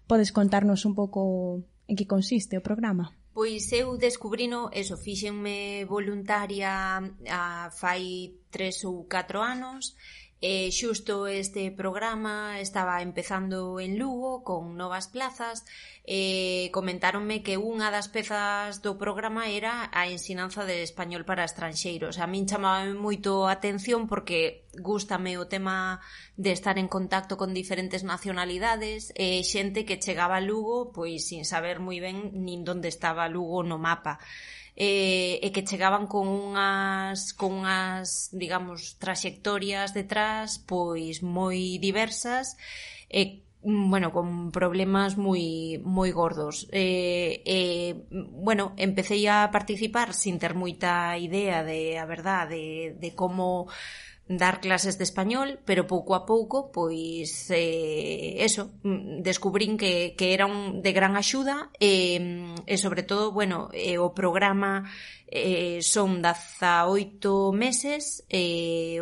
Podes contarnos un pouco en que consiste o programa? Pois eu descubrino, fíxenme voluntaria fai 3 ou 4 anos. Xusto este programa estaba empezando en Lugo con novas plazas e comentáronme que unha das pezas do programa era a ensinanza de español para estranxeiros. A min chamaba moito a atención porque gústame o tema de estar en contacto con diferentes nacionalidades e xente que chegaba a Lugo pois sin saber moi ben nin onde estaba Lugo no mapa. E que chegaban con unhas digamos, traxectorias detrás pois moi diversas e bueno, con problemas moi gordos. Bueno, empecé a participar sin ter moita idea de a verdade de como dar clases de español, pero pouco a pouco pois descubrín que era de gran axuda e sobre todo, bueno, o programa son 18 meses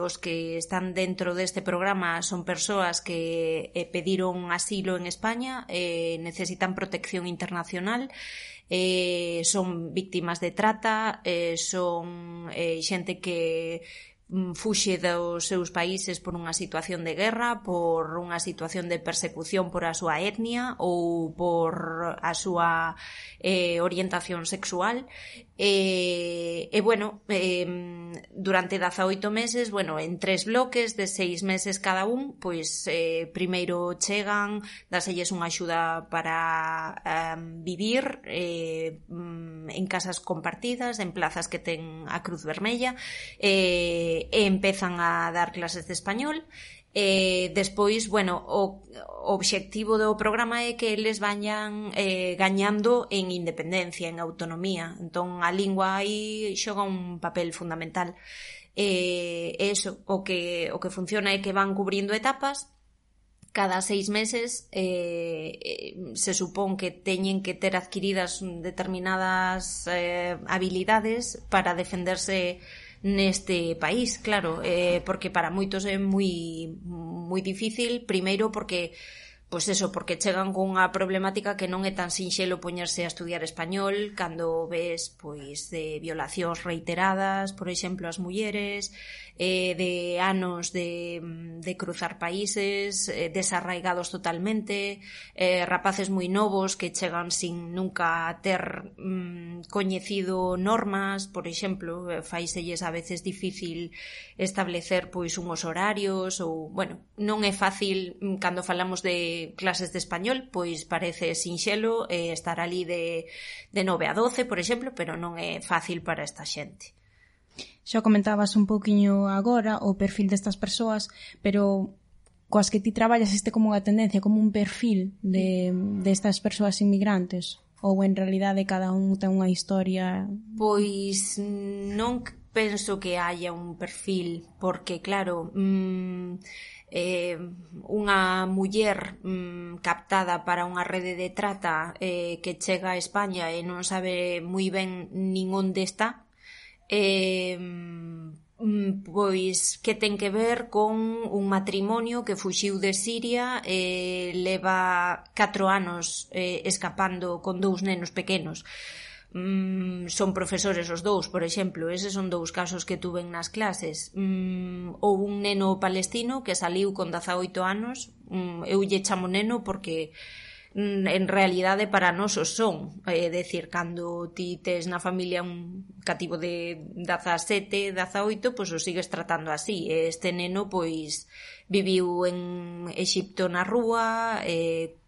os que están dentro deste programa son persoas que pediron asilo en España, necesitan protección internacional, son víctimas de trata, son xente que fuxe dos seus países por unha situación de guerra, por unha situación de persecución por a súa etnia ou por a súa orientación sexual bueno, durante 18 meses, bueno, en 3 bloques de 6 meses cada un, pois primeiro chegan, daselles unha axuda para vivir en casas compartidas, en plazas que ten a Cruz Vermella, e empezan a dar clases de español. Despois, bueno, o obxectivo do programa é que eles vayan gañando en independencia, en autonomía. Entón, a lingua aí xoga un papel fundamental. Eso, o que funciona é que van cubrindo etapas. Cada 6 meses se supón que teñen que ter adquiridas determinadas habilidades para defenderse neste país, claro, porque para moitos é moi difícil, primeiro porque porque chegan con unha problemática que non é tan sinxelo poñerse a estudiar español cando ves de violacións reiteradas, por exemplo, as mulleres, de anos de cruzar países, desarraigados totalmente, rapaces moi novos que chegan sin nunca ter coñecido normas, por exemplo, faiselles a veces difícil establecer unhos horarios, ou, bueno, non é fácil cando falamos de clases de español, parece sinxelo estar ali de 9 a 12, por exemplo, pero non é fácil para esta xente. Xa comentabas un pouquiño agora o perfil destas persoas, pero coas que ti traballas como unha tendencia, como un perfil destas persoas inmigrantes, ou en realidade cada un ten unha historia? Pois non penso que haya un perfil, porque claro, unha muller captada para unha rede de trata que chega a España e non sabe moi ben nin onde está, pois que ten que ver con un matrimonio que fuxiu de Siria, leva 4 anos escapando con 2 nenos pequenos. Son profesores os dous, por exemplo, eses son 2 casos que tuven nas clases. Ou un neno palestino que saliu con 18 anos, eu lle chamo neno porque en realidade para nós os son, é dicir, cando ti tes na familia un cativo de 17, 18, pois o sigues tratando así. Este neno viviu en Exipto na rúa,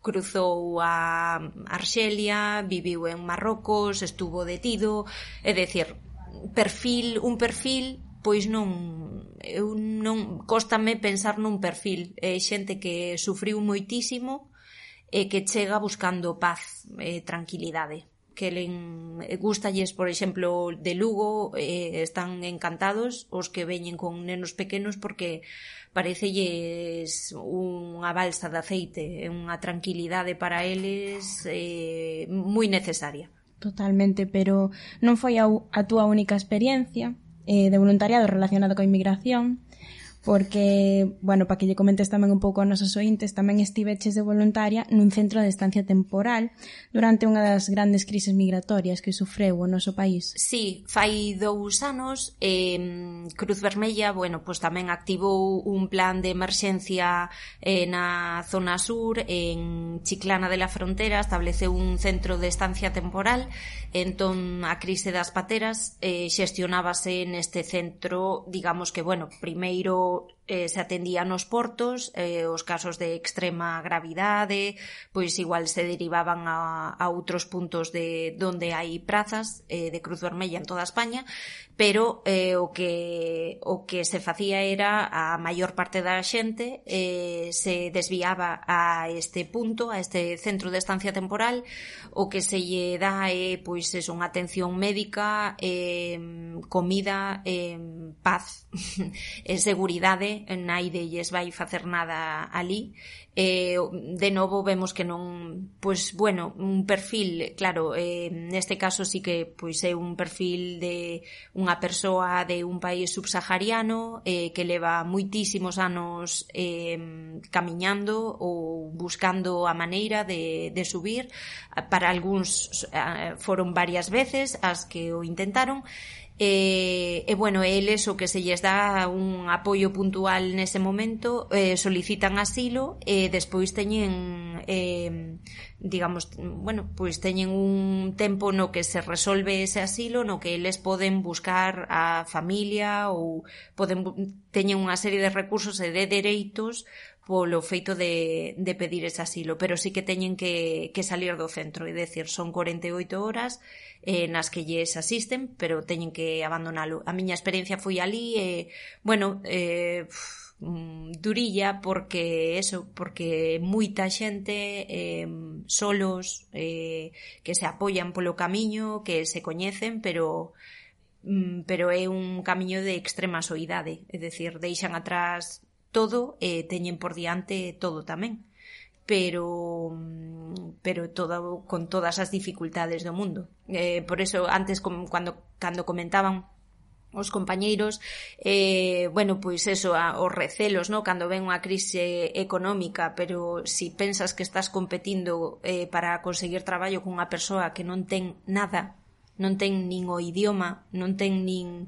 cruzou a Arxelia, viviu en Marrocos, estuvo detido, é dicir, un perfil, pois non cóstame pensar nun perfil. É xente que sufriu moitísimo e que chega buscando paz e tranquilidade. Que gustalles, por exemplo, de Lugo, están encantados os que veñen con nenos pequenos porque parecelles unha balsa de aceite, unha tranquilidade para eles moi necesaria. Totalmente, pero non foi a túa única experiencia de voluntariado relacionado coa inmigración, porque, bueno, para que lle comentes tamén un pouco aos nosos ointes, tamén estiveches de voluntaria nun centro de estancia temporal durante unha das grandes crises migratorias que sufreu o noso país. Sí, fai 2 anos Cruz Vermella, bueno, pois tamén activou un plan de emerxencia na zona sur, en Chiclana de la Frontera, estableceu un centro de estancia temporal. Entón, a crise das pateras xestionábase neste centro, digamos que, bueno, primeiro se atendían nos portos, os casos de extrema gravidade, pois igual se derivaban a outros puntos de onde hai prazas de Cruz Vermella en toda España, pero o que se facía era a maior parte da xente se desviaba a este punto, a este centro de estancia temporal. O que se lle dá é pois unha atención médica, comida, paz e seguridade. Naide lles vai facer nada ali. De novo vemos que non, pois bueno, un perfil, claro, neste caso sí que pois é un perfil de unha persoa de un país subsahariano que leva moitísimos anos camiñando ou buscando a maneira de subir. Para algúns foron varias veces as que o intentaron. Bueno, eles o que se lles dá un apoio puntual nese momento, solicitan asilo e despois teñen digamos, bueno, pois teñen un tempo no que se resolve ese asilo, no que eles poden buscar a familia ou teñen unha serie de recursos e de dereitos polo feito de pedir ese asilo, pero sí que teñen que salir do centro, é dicir, son 48 horas nas que lles asisten, pero teñen que abandonalo. A miña experiencia foi ali, bueno, durilla porque moita xente solos que se apoian polo camiño, que se coñecen, pero é un camiño de extrema soidade, é dicir, deixan atrás todo e teñen por diante todo tamén, pero todo con todas as dificultades do mundo. Por eso antes cando comentaban os compañeiros, pois eso, os recelos, no? Cando ven unha crise económica, pero si pensas que estás competindo para conseguir traballo con unha persoa que non ten nada, non ten nin o idioma, non ten nin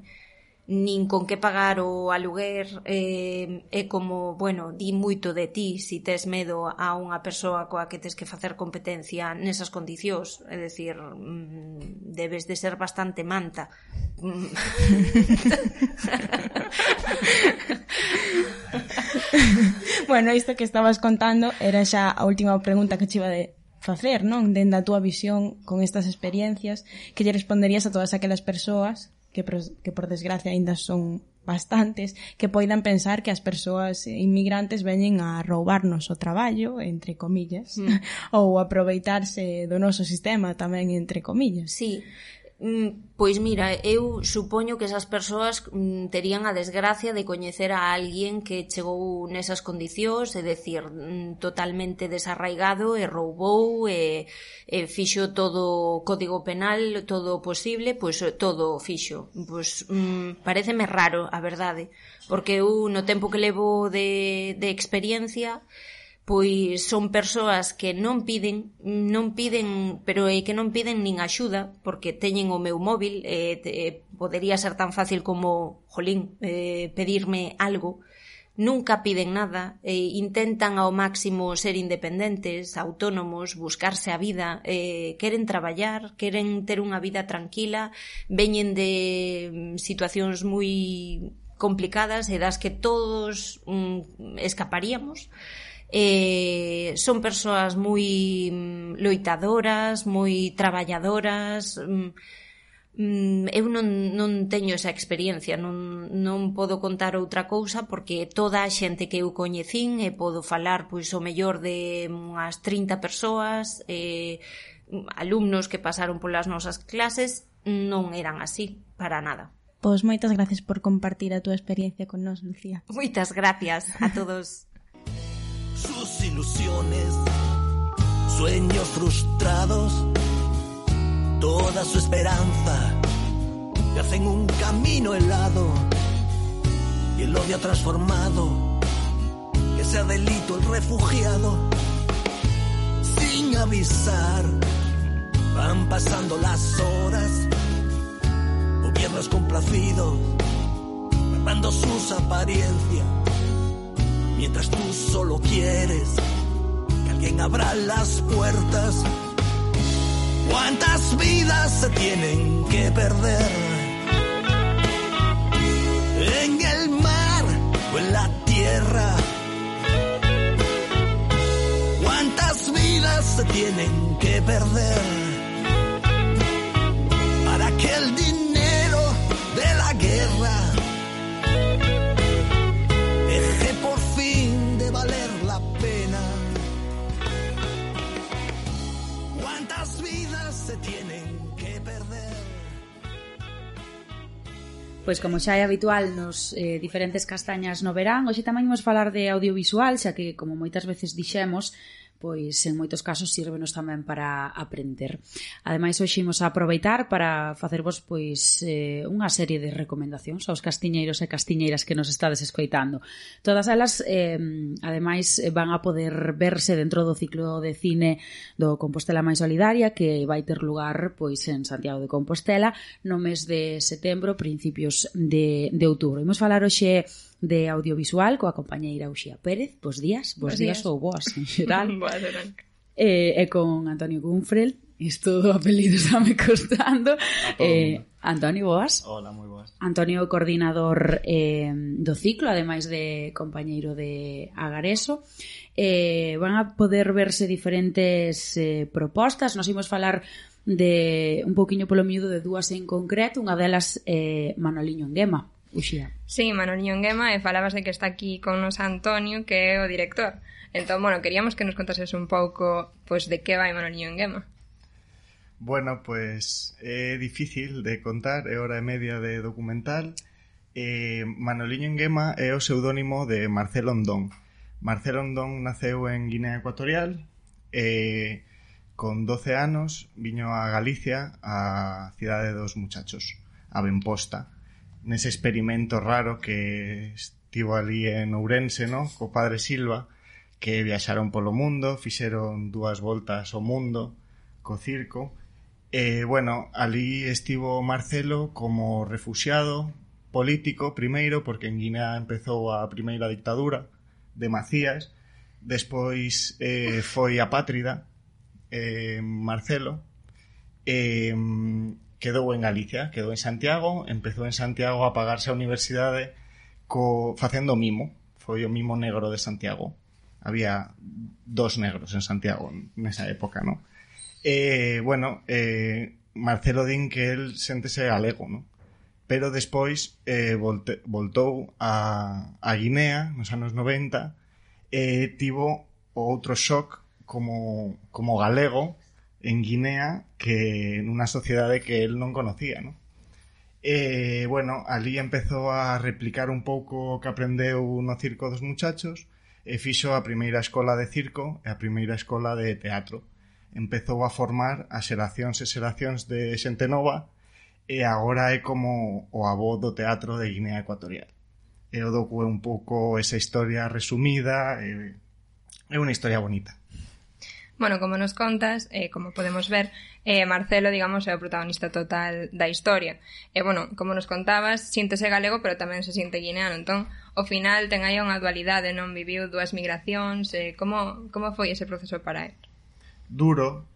con que pagar o aluguer, é como, di moito de ti si tes medo a unha persoa coa que tes que facer competencia nesas condicións, é dicir, debes de ser bastante manta. Bueno, isto que estabas contando era xa a última pregunta que che iba de facer, non? Dende a túa visión con estas experiencias, que lle responderías a todas aquelas persoas que por desgracia ainda son bastantes, que poidan pensar que as persoas inmigrantes veñen a roubarnos o traballo, entre comillas, ou aproveitarse do noso sistema tamén, entre comillas. Sí. Pois mira, eu supoño que esas persoas terían a desgracia de coñecer a alguén que chegou nesas condicións, é dicir, totalmente desarraigado e roubou e fixo todo o código penal, todo o posible, pois todo fixo. Pois paréceme raro, a verdade, porque eu no tempo que levo de experiencia, pois son persoas que non piden, pero é que non piden nin axuda, porque teñen o meu móvil, podería ser tan fácil como, pedirme algo, nunca piden nada, intentan ao máximo ser independentes, autónomos, buscarse a vida, queren traballar, queren ter unha vida tranquila, veñen de situacións moi complicadas e das que todos escaparíamos. Son persoas moi loitadoras, moi traballadoras. Eu non teño esa experiencia, non podo contar outra cousa, porque toda a xente que eu coñecín, e podo falar pois o mellor de unhas 30 persoas, alumnos que pasaron polas nosas clases, non eran así, para nada. Pois moitas gracias por compartir a túa experiencia con nós, Lucía. Moitas gracias a todos. Sus ilusiones, sueños frustrados, toda su esperanza, te hacen un camino helado y el odio ha transformado que sea delito el refugiado. Sin avisar, van pasando las horas, gobiernos complacidos, guardando sus apariencias. Mientras tú solo quieres que alguien abra las puertas. ¿Cuántas vidas se tienen que perder? En el mar o en la tierra. ¿Cuántas vidas se tienen que perder? Para que el dinero de la guerra deje por fin de valer la pena. ¿Cuántas vidas se tienen que perder? Pois como xa é habitual nos diferentes castañas no verán, hoxe tamén imos falar de audiovisual, xa que, como moitas veces dixemos, pois en moitos casos sírvenos tamén para aprender. Ademais, hoxe imos a aproveitar para facervos pois unha serie de recomendacións aos castiñeiros e castiñeiras que nos estades escoitando. Todas elas, ademais, van a poder verse dentro do ciclo de cine do Compostela máis solidaria, que vai ter lugar pois en Santiago de Compostela no mes de setembro, principios de outubro. Imos falar hoxe de audiovisual coa compañeira Uxía Pérez. Bos días ou boas en xeral. E con Antonio Gunfrel. Isto do apelido está me costando. Antonio, boas. Hola, moi boas. Antonio, coordinador do ciclo, ademais de compañeiro de Agareso. Van a poder verse diferentes propostas. Nos imos falar de un poquinho polo miúdo de dúas en concreto. Unha delas Manoliño Enguema, Uxía. Sí, Manoliño Nguema, e falabas de que está aquí con nos Antonio, que é o director. Entón, bueno, queríamos que nos contases un pouco pues, de que vai Manoliño Nguema. Bueno, pues é difícil de contar, é hora e media de documental. Manoliño Nguema é o pseudónimo de Marcelo Ondón. Marcelo Ondón naceu en Guinea Ecuatorial e con 12 anos viño a Galicia, a cidade dos muchachos, a Benposta, nese experimento raro que estivo ali en Ourense, no? Co padre Silva, que viaxaron polo mundo, fixeron 2 voltas ao mundo co circo. Bueno, ali estivo Marcelo como refuxiado político primeiro, porque en Guinea empezou a primeira dictadura de Macías, despois foi apátrida Marcelo, quedou en Galicia, quedou en Santiago, empezou en Santiago a pagarse a universidade facendo mimo, foi o mimo negro de Santiago. Había 2 negros en Santiago nesa época, ¿no? Bueno, Marcelo din que el séntese galego, ¿no? Pero despois voltou a Guinea nos anos 90 e tivo outro shock como galego en Guinea que nunha sociedade que el non conocía, ¿no? Bueno, ali empezou a replicar un pouco o que aprendeu no circo dos muchachos e fixo a primeira escola de circo e a primeira escola de teatro. Empezou a formar a xeracións e xeracións de xente nova e agora é como o avó do teatro de Guinea Ecuatorial. E o docu é un pouco esa historia resumida, é unha historia bonita. Bueno, como nos contas, como podemos ver, Marcelo, digamos, é o protagonista total da historia. E, bueno, como nos contabas, síntese galego, pero tamén se siente guineano. Entón, ao final, ten aí unha dualidade, non? Viviu 2 migracións. Como foi ese proceso para él? Duro.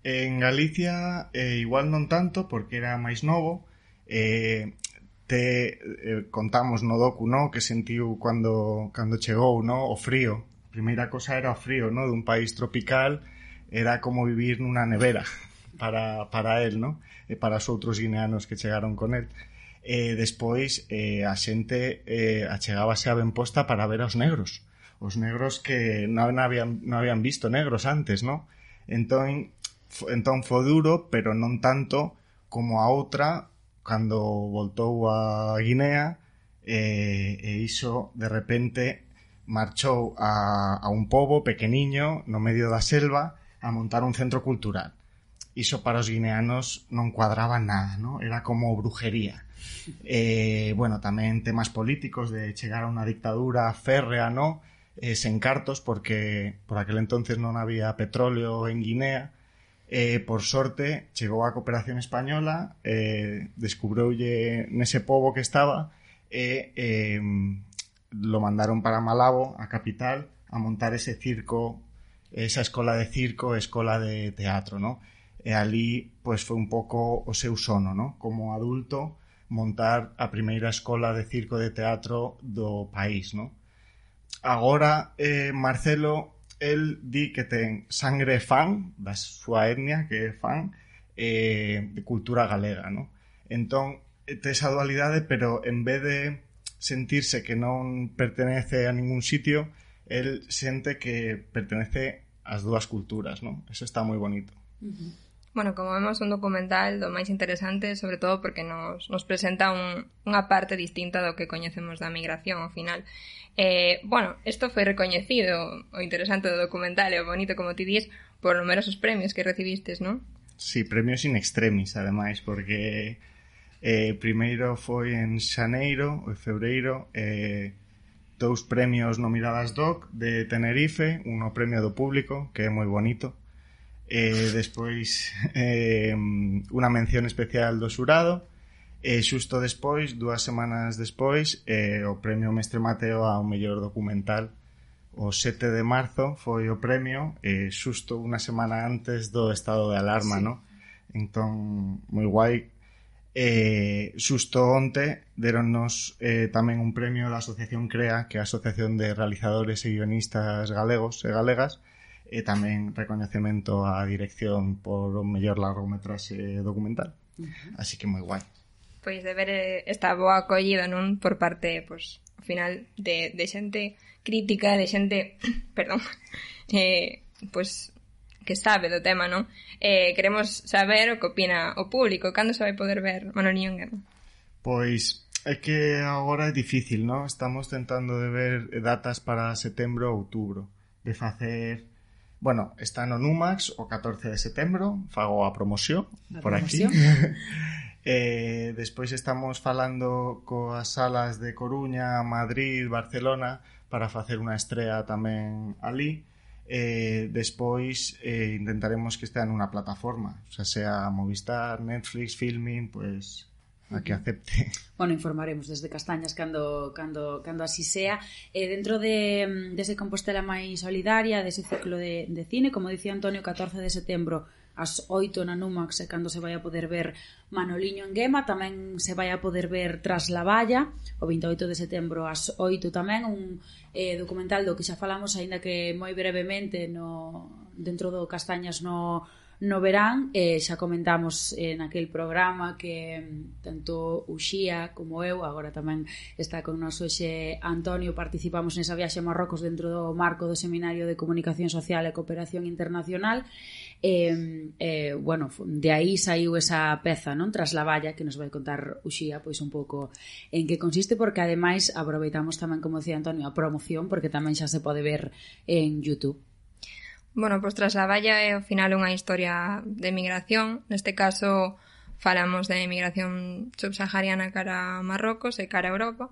En Galicia, igual non tanto, porque era máis novo. Contamos no docu, no? Que sentiu cando chegou, no? O frío. Primeira cosa era o frío, ¿no? Dun país tropical, era como vivir nunha nevera para él, ¿no? E para os outros guineanos que chegaron con él. Despois a xente achegábase a Benposta para ver aos negros que non habían visto negros antes, ¿no? Entón foi duro, pero non tanto como a outra cando voltou a Guinea e iso de repente marchou a un pobo pequeniño no medio da selva a montar un centro cultural. Iso para os guineanos non cuadraba nada, ¿no? Era como brujería. Bueno, tamén temas políticos de chegar a unha dictadura férrea, ¿no? Sen cartos, porque por aquel entonces non había petróleo en Guinea. Por sorte, chegou a cooperación española, descubroulle nese pobo que estaba e lo mandaron para Malabo, a capital, a montar ese circo, esa escola de circo, escola de teatro, ¿no? E ali, pues, foi un pouco o seu sono, ¿no? Como adulto, montar a primeira escola de circo de teatro do país, ¿no? Agora, Marcelo, el di que ten sangre fan, da súa etnia, que é fan, de cultura galega, ¿no? Entón, ten esa dualidade, pero en vez de sentirse que non pertenece a ningún sitio, el sente que pertenece ás 2 culturas, ¿no? Eso está moi bonito. Bueno, como vemos, un documental do máis interesante, sobre todo porque nos presenta unha parte distinta do que coñecemos da migración ao final. Bueno, isto foi recoñecido, o interesante do documental e o bonito, como ti dís, por numerosos premios que recivistes, non? Sí, premios in extremis, ademais, porque primeiro foi en xaneiro ou febreiro, 2 premios no Miradas Doc de Tenerife, uno premio do público, que é moi bonito, despois unha mención especial do xurado, e xusto despois, 2 semanas despois, o premio Mestre Mateo ao mellor documental. O 7 de marzo foi o premio, xusto unha semana antes do estado de alarma, sí. ¿No? Entón, moi guai. Xusto onte deronnos tamén un premio da Asociación CREA, que é a Asociación de Realizadores e Guionistas Galegos e Galegas, e tamén recoñecemento á dirección por o mellor largometraxe documental. Así que moi guai. pois de ver esta boa acollida, non, por parte, pois, ao final de xente crítica, de xente, perdón, pois que sabe do tema, non? Queremos saber o que opina o público. Cando se vai poder ver Manoliño en Guema? Pois é que agora é difícil, non? Estamos tentando de ver datas para setembro ou outubro, de facer... Bueno, está no Numax o 14 de setembro, fago a promoción por aquí. Despois estamos falando coas salas de Coruña, Madrid, Barcelona para facer unha estrea tamén ali. Despois intentaremos que estea nunha plataforma, sea Movistar, Netflix, Filmin, pues a que acepte. Bueno, informaremos desde Castañas cando así sea. Dentro dese Compostela máis solidaria, dese ciclo de cine, como dicía Antonio, 14 de setembro ás 8 na Numax, cando se vai a poder ver Manoliño en Guema. Tamén se vai a poder ver Tras la valla, o 28 de setembro ás 8 tamén, un documental do que xa falamos, aínda que moi brevemente dentro do Castañas no verán. Xa comentamos naquel programa que tanto Uxía como eu, agora tamén está con nos hoxe Antonio, participamos nesa viaxe a Marrocos dentro do marco do Seminario de Comunicación Social e Cooperación Internacional. Bueno, de aí saiu esa peza, non? Tras la valla, que nos vai contar Uxía pois un pouco en que consiste, porque ademais aproveitamos tamén, como decía Antonio, a promoción, porque tamén xa se pode ver en YouTube. Bueno, pois Tras la valla é ao final unha historia de migración. Neste caso falamos de migración subsahariana cara a Marrocos e cara a Europa.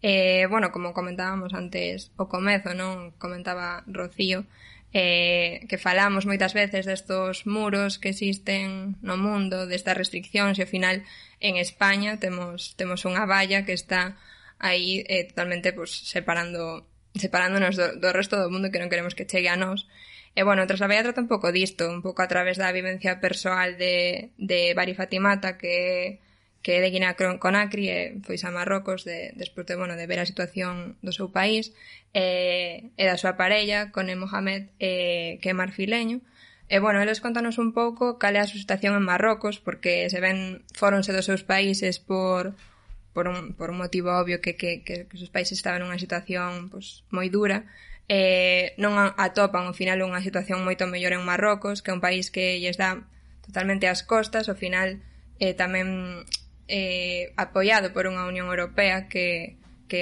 Bueno, como comentábamos antes o comezo, non? Comentaba Rocío que falamos moitas veces destos muros que existen no mundo, destas restriccións, e ao final en España temos unha valla que está aí totalmente pues, separándonos do resto do mundo, que non queremos que chegue a nós. E, bueno, Tras la valla trata un pouco disto, un pouco a través da vivencia persoal de Bari Fatimata, que é de Guinea Conakry, e foi a Marrocos despois de ver a situación do seu país, e da súa parella, Cone Mohamed, que é marfileño. E, bueno, eles contanos un pouco cal é a súa situación en Marrocos, porque se ven fóronse dos seus países por un motivo obvio que os seus países estaban nunha situación pues, moi dura. Non atopan ao final unha situación moito mellor en Marrocos, que é un país que lles dá totalmente as costas, ao final tamén apoiado por unha Unión Europea que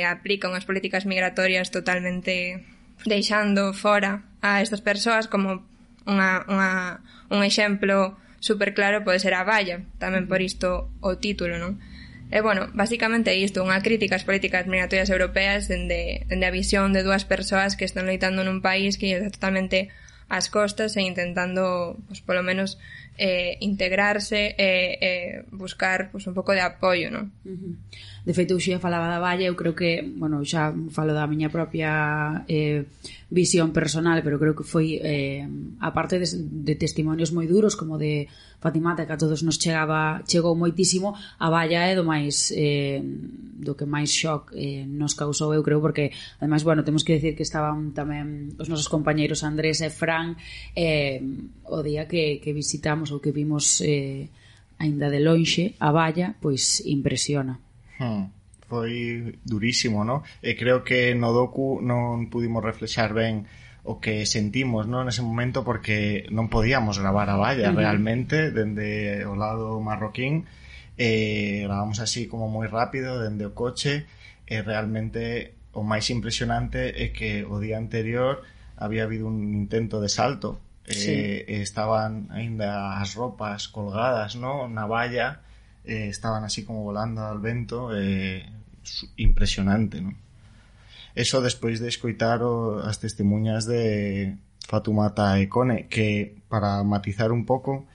aplica unhas políticas migratorias totalmente deixando fora a estas persoas, como un exemplo super claro pode ser a valla, tamén por isto o título, non? E, bueno, basicamente é isto, unha crítica ás políticas migratorias europeas dende a visión de dúas persoas que están loitando nun país que está totalmente ás costas e intentando, pues, polo menos, integrarse e buscar pues, un pouco de apoio, non? De feito, Uxía falaba da valla, eu creo que, bueno, xa falo da miña propia visión personal, pero creo que foi aparte de testimonios moi duros como de Fatimata, que a todos nos chegou moitísimo, a valla é do que máis shock nos causou, eu creo, porque ademais, bueno, temos que decir que estaban tamén os nosos compañeiros Andrés e Fran o día que visitamos ou que vimos aínda de lonxe a valla, pois impresiona. Foi durísimo, ¿no? E creo que no docu non pudimos reflexar ben o que sentimos, ¿no? Nese momento, porque non podíamos gravar a valla realmente dende o lado marroquín. Gravamos así como moi rápido dende o coche, e realmente o máis impresionante é que o día anterior había habido un intento de salto. Estaban aínda as ropas colgadas, ¿no? Na valla, estaban así como volando al vento, impresionante, ¿no? Eso despois de escoitar as testemunhas de Fatimata e Cone, que, para matizar un pouco,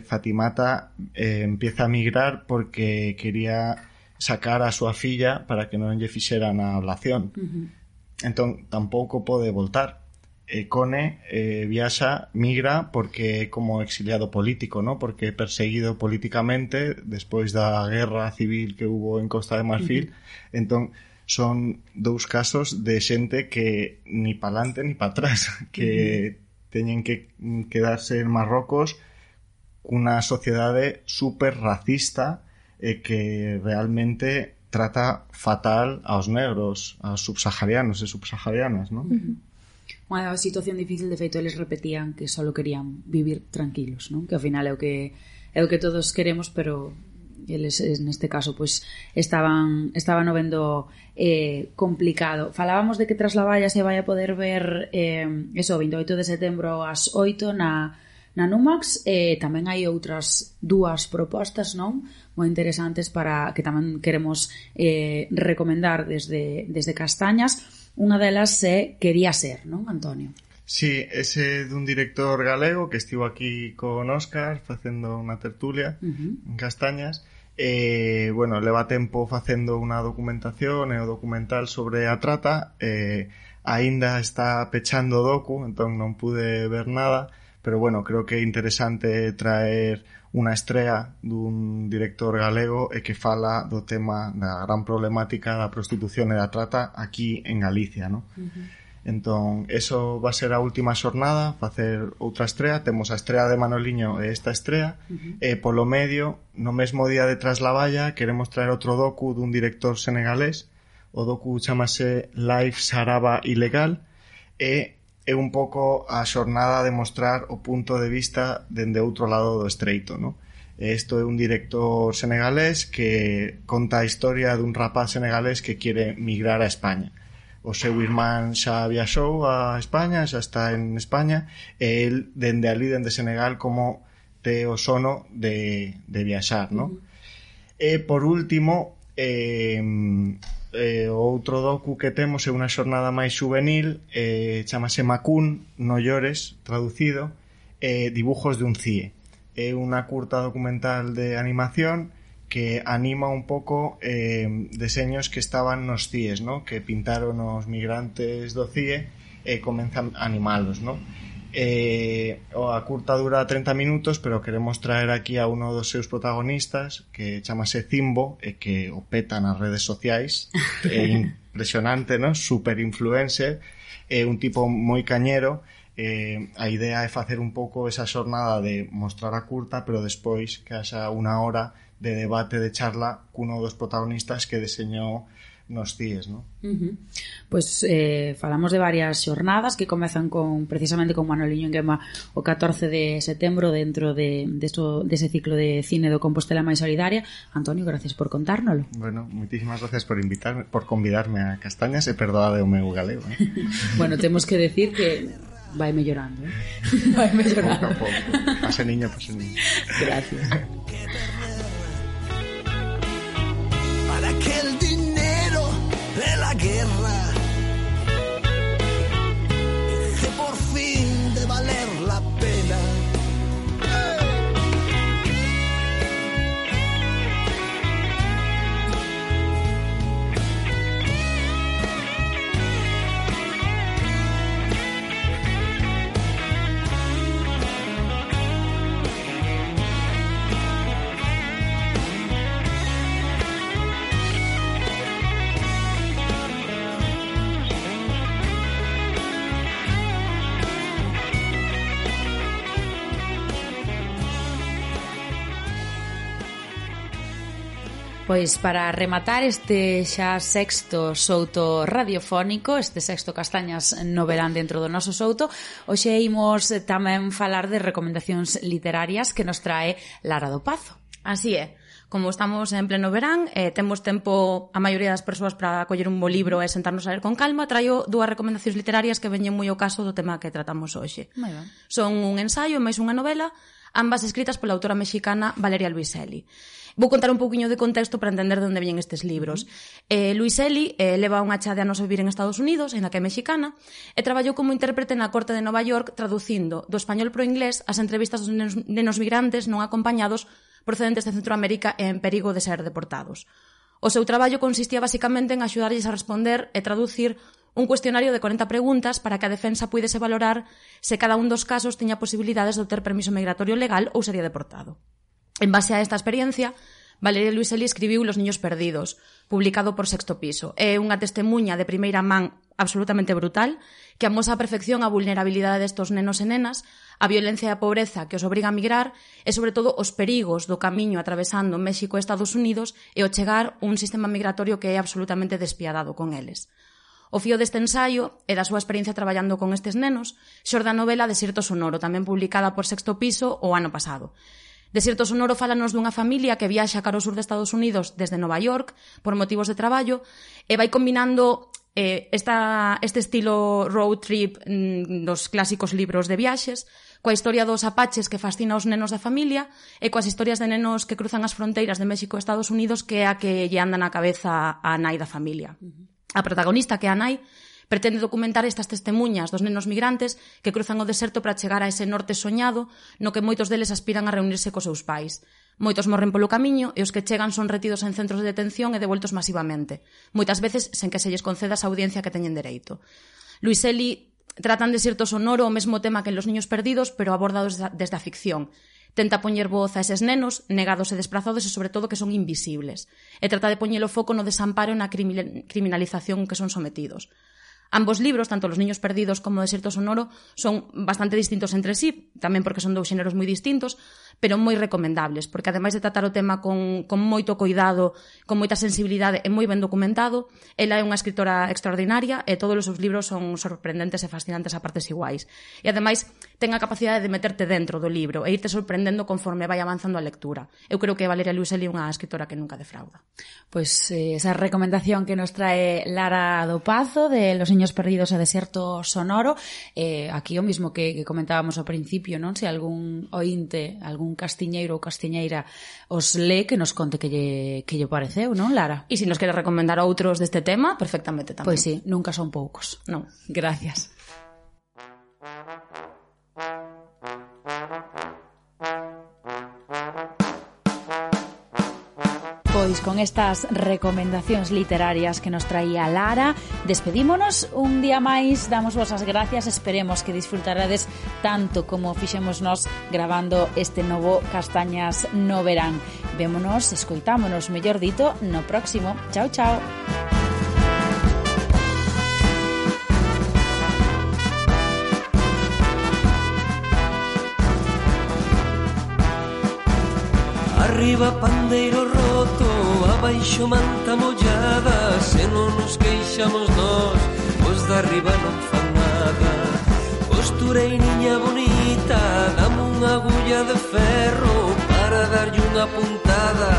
Fatimata empieza a migrar porque quería sacar a súa filla para que non lle fixeran a ablación. Entón, tampouco pode voltar. Cone migra porque é como exiliado político, ¿no? Porque é perseguido políticamente despois da guerra civil que hubo en Costa de Marfil. Entón, son dous casos de xente que ni para adelante ni para atrás, que teñen que quedarse en Marrocos cunha sociedade super racista, que realmente trata fatal aos negros, aos subsaharianos e subsaharianas, non? Unha situación difícil, de feito, eles repetían que só querían vivir tranquilos, non? Que ao final é o que todos queremos, pero eles neste caso pois estaban o vendo complicado. Falábamos de que Tras la valla se vai a poder ver eso, 28 de setembro ás 8 na Numax. Tamén hai outras dúas propostas, non? Moi interesantes para que tamén queremos recomendar desde Castañas. Unha delas Quería ser, non, Antonio? Sí, ese dun director galego que estivo aquí con Óscar facendo unha tertulia en Castañas. Bueno, leva tempo facendo unha documentación e o documental sobre a trata. Aínda está pechando o docu, entón non pude ver nada, pero bueno, creo que é interesante traer unha estrea dun director galego e que fala do tema da gran problemática da prostitución e da trata aquí en Galicia, non? Entón, eso va a ser a última xornada, facer outra estrea. Temos a estrea de Manoliño e esta estrea. E polo medio, no mesmo día de Tras la valla, queremos traer outro docu dun director senegalés. O docu chamase Life Saraba Ilegal e é un pouco a xornada de mostrar o punto de vista dende outro lado do estreito, non? Isto é un director senegalés que conta a historia dun rapaz senegalés que quere migrar a España. O seu irmán xa viaxou a España, xa está en España, e el dende ali, dende Senegal, como te o sono de viaxar, non? E por último, o outro docu que temos é unha xornada máis juvenil, chamase Macún, no llores, traducido, dibujos de un CIE. É unha curta documental de animación que anima un pouco deseños que estaban nos CIEs, ¿no? Que pintaron os migrantes do CIE e comenzan a animalos, ¿no? A curta dura 30 minutos, pero queremos traer aquí a uno dos seus protagonistas que chamase Zimbo e que o peta nas redes sociais. É impresionante, ¿no? Super influencer, é un tipo moi cañero. A idea é facer un pouco esa xornada de mostrar a curta, pero despois que haxa unha hora de debate, de charla cuno dos protagonistas que deseñou nos CIEs, ¿no? Pois falamos de varias xornadas que comezan precisamente con Manoliño en Guema o 14 de setembro dentro dese ciclo de cine do Compostela máis solidaria. Antonio, gracias por contárnolo. Bueno, moitísimas gracias por convidarme a Castañas e perdoade o meu galego, ¿eh? Bueno, temos que decir que vai mellorando, ¿eh? Vai mellorando. Pouco a pouco. Pase niño. Gracias. Para que el dinero de la guerra deje por fin de valer la pena. Pois para rematar este xa sexto souto radiofónico, este sexto Castañas no verán dentro do noso souto, hoxe imos tamén falar de recomendacións literarias que nos trae Lara do Pazo. Así é. Como estamos en pleno verán, temos tempo a maioría das persoas para coller un bo libro e sentarnos a ler con calma, traio dúas recomendacións literarias que veñen moi ao caso do tema que tratamos hoxe. Son un ensaio e máis unha novela, ambas escritas pola autora mexicana Valeria Luiselli. Vou contar un pouquiño de contexto para entender de onde veñen estes libros. Luiselli leva unha chá de anos a vivir en Estados Unidos, en a que é mexicana, e traballou como intérprete na corte de Nova York traducindo do español pro inglés as entrevistas dos nenos migrantes non acompañados procedentes de Centroamérica e en perigo de ser deportados. O seu traballo consistía basicamente en axudarlles a responder e traducir un cuestionario de 40 preguntas para que a defensa puidese valorar se cada un dos casos tiña posibilidades de obter permiso migratorio legal ou sería deportado. En base a esta experiencia, Valeria Luiselli escribiu Los niños perdidos, publicado por Sexto Piso. É unha testemunha de primeira man absolutamente brutal que amosa a perfección a vulnerabilidade destos nenos e nenas, a violencia e a pobreza que os obriga a migrar e, sobre todo, os perigos do camiño atravesando México e Estados Unidos e o chegar un sistema migratorio que é absolutamente despiadado con eles. O fío deste ensaio e da súa experiencia traballando con estes nenos xorde a novela Desierto Sonoro, tamén publicada por Sexto Piso o ano pasado. Desierto Sonoro fálanos dunha familia que viaxa cara ao sur de Estados Unidos desde Nova York por motivos de traballo e vai combinando este estilo road trip dos clásicos libros de viaxes coa historia dos apaches que fascina aos nenos da familia e coas historias de nenos que cruzan as fronteiras de México e Estados Unidos que é a que lle anda na cabeza a nai da familia. A protagonista, que é a nai, pretende documentar estas testemuñas dos nenos migrantes que cruzan o deserto para chegar a ese norte soñado no que moitos deles aspiran a reunirse cos seus pais. Moitos morren polo camiño e os que chegan son retidos en centros de detención e devoltos masivamente, moitas veces sen que se lles conceda esa audiencia que teñen dereito. Luiselli tratan de Desierto Sonoro o mesmo tema que en Los niños perdidos, pero abordados desde a ficción. Tenta poñer voz a eses nenos, negados e desprazados e, sobre todo, que son invisibles. E trata de poñer o foco no desamparo e na criminalización que son sometidos. Ambos libros, tanto Los niños perdidos como Desierto Sonoro, son bastante distintos entre sí, tamén porque son dous xéneros moi distintos, pero moi recomendables, porque ademais de tratar o tema con moito cuidado, con moita sensibilidade e moi ben documentado, ela é unha escritora extraordinaria e todos os seus libros son sorprendentes e fascinantes a partes iguais. E ademais ten a capacidade de meterte dentro do libro e irte sorprendendo conforme vai avanzando a lectura. Eu creo que Valeria Luiselli é unha escritora que nunca defrauda. Pois esa recomendación que nos trae Lara do Pazo de Los niños perdidos e Desierto Sonoro, aquí o mismo que comentábamos ao principio, non? Se algún ointe, algún castiñeiro ou castiñeira os lee, que nos conte que lle pareceu, non, Lara? E se nos quere recomendar outros deste tema, perfectamente tamén. Pois sí, nunca son poucos. Non. Gracias. Pois con estas recomendacións literarias que nos traía Lara, despedímonos un día máis, damos vos as gracias, esperemos que disfrutarades tanto como fixemos nós gravando este novo Castañas no Verán. Vémonos, escoitámonos, mellor dito, no próximo. Chao, chao. Arriba pandeiro roto, abaixo manta mollada, se non nos queixamos nós, os de arriba non fan nada. Costureiriña bonita, dame unha agulla de ferro para darlle unha puntada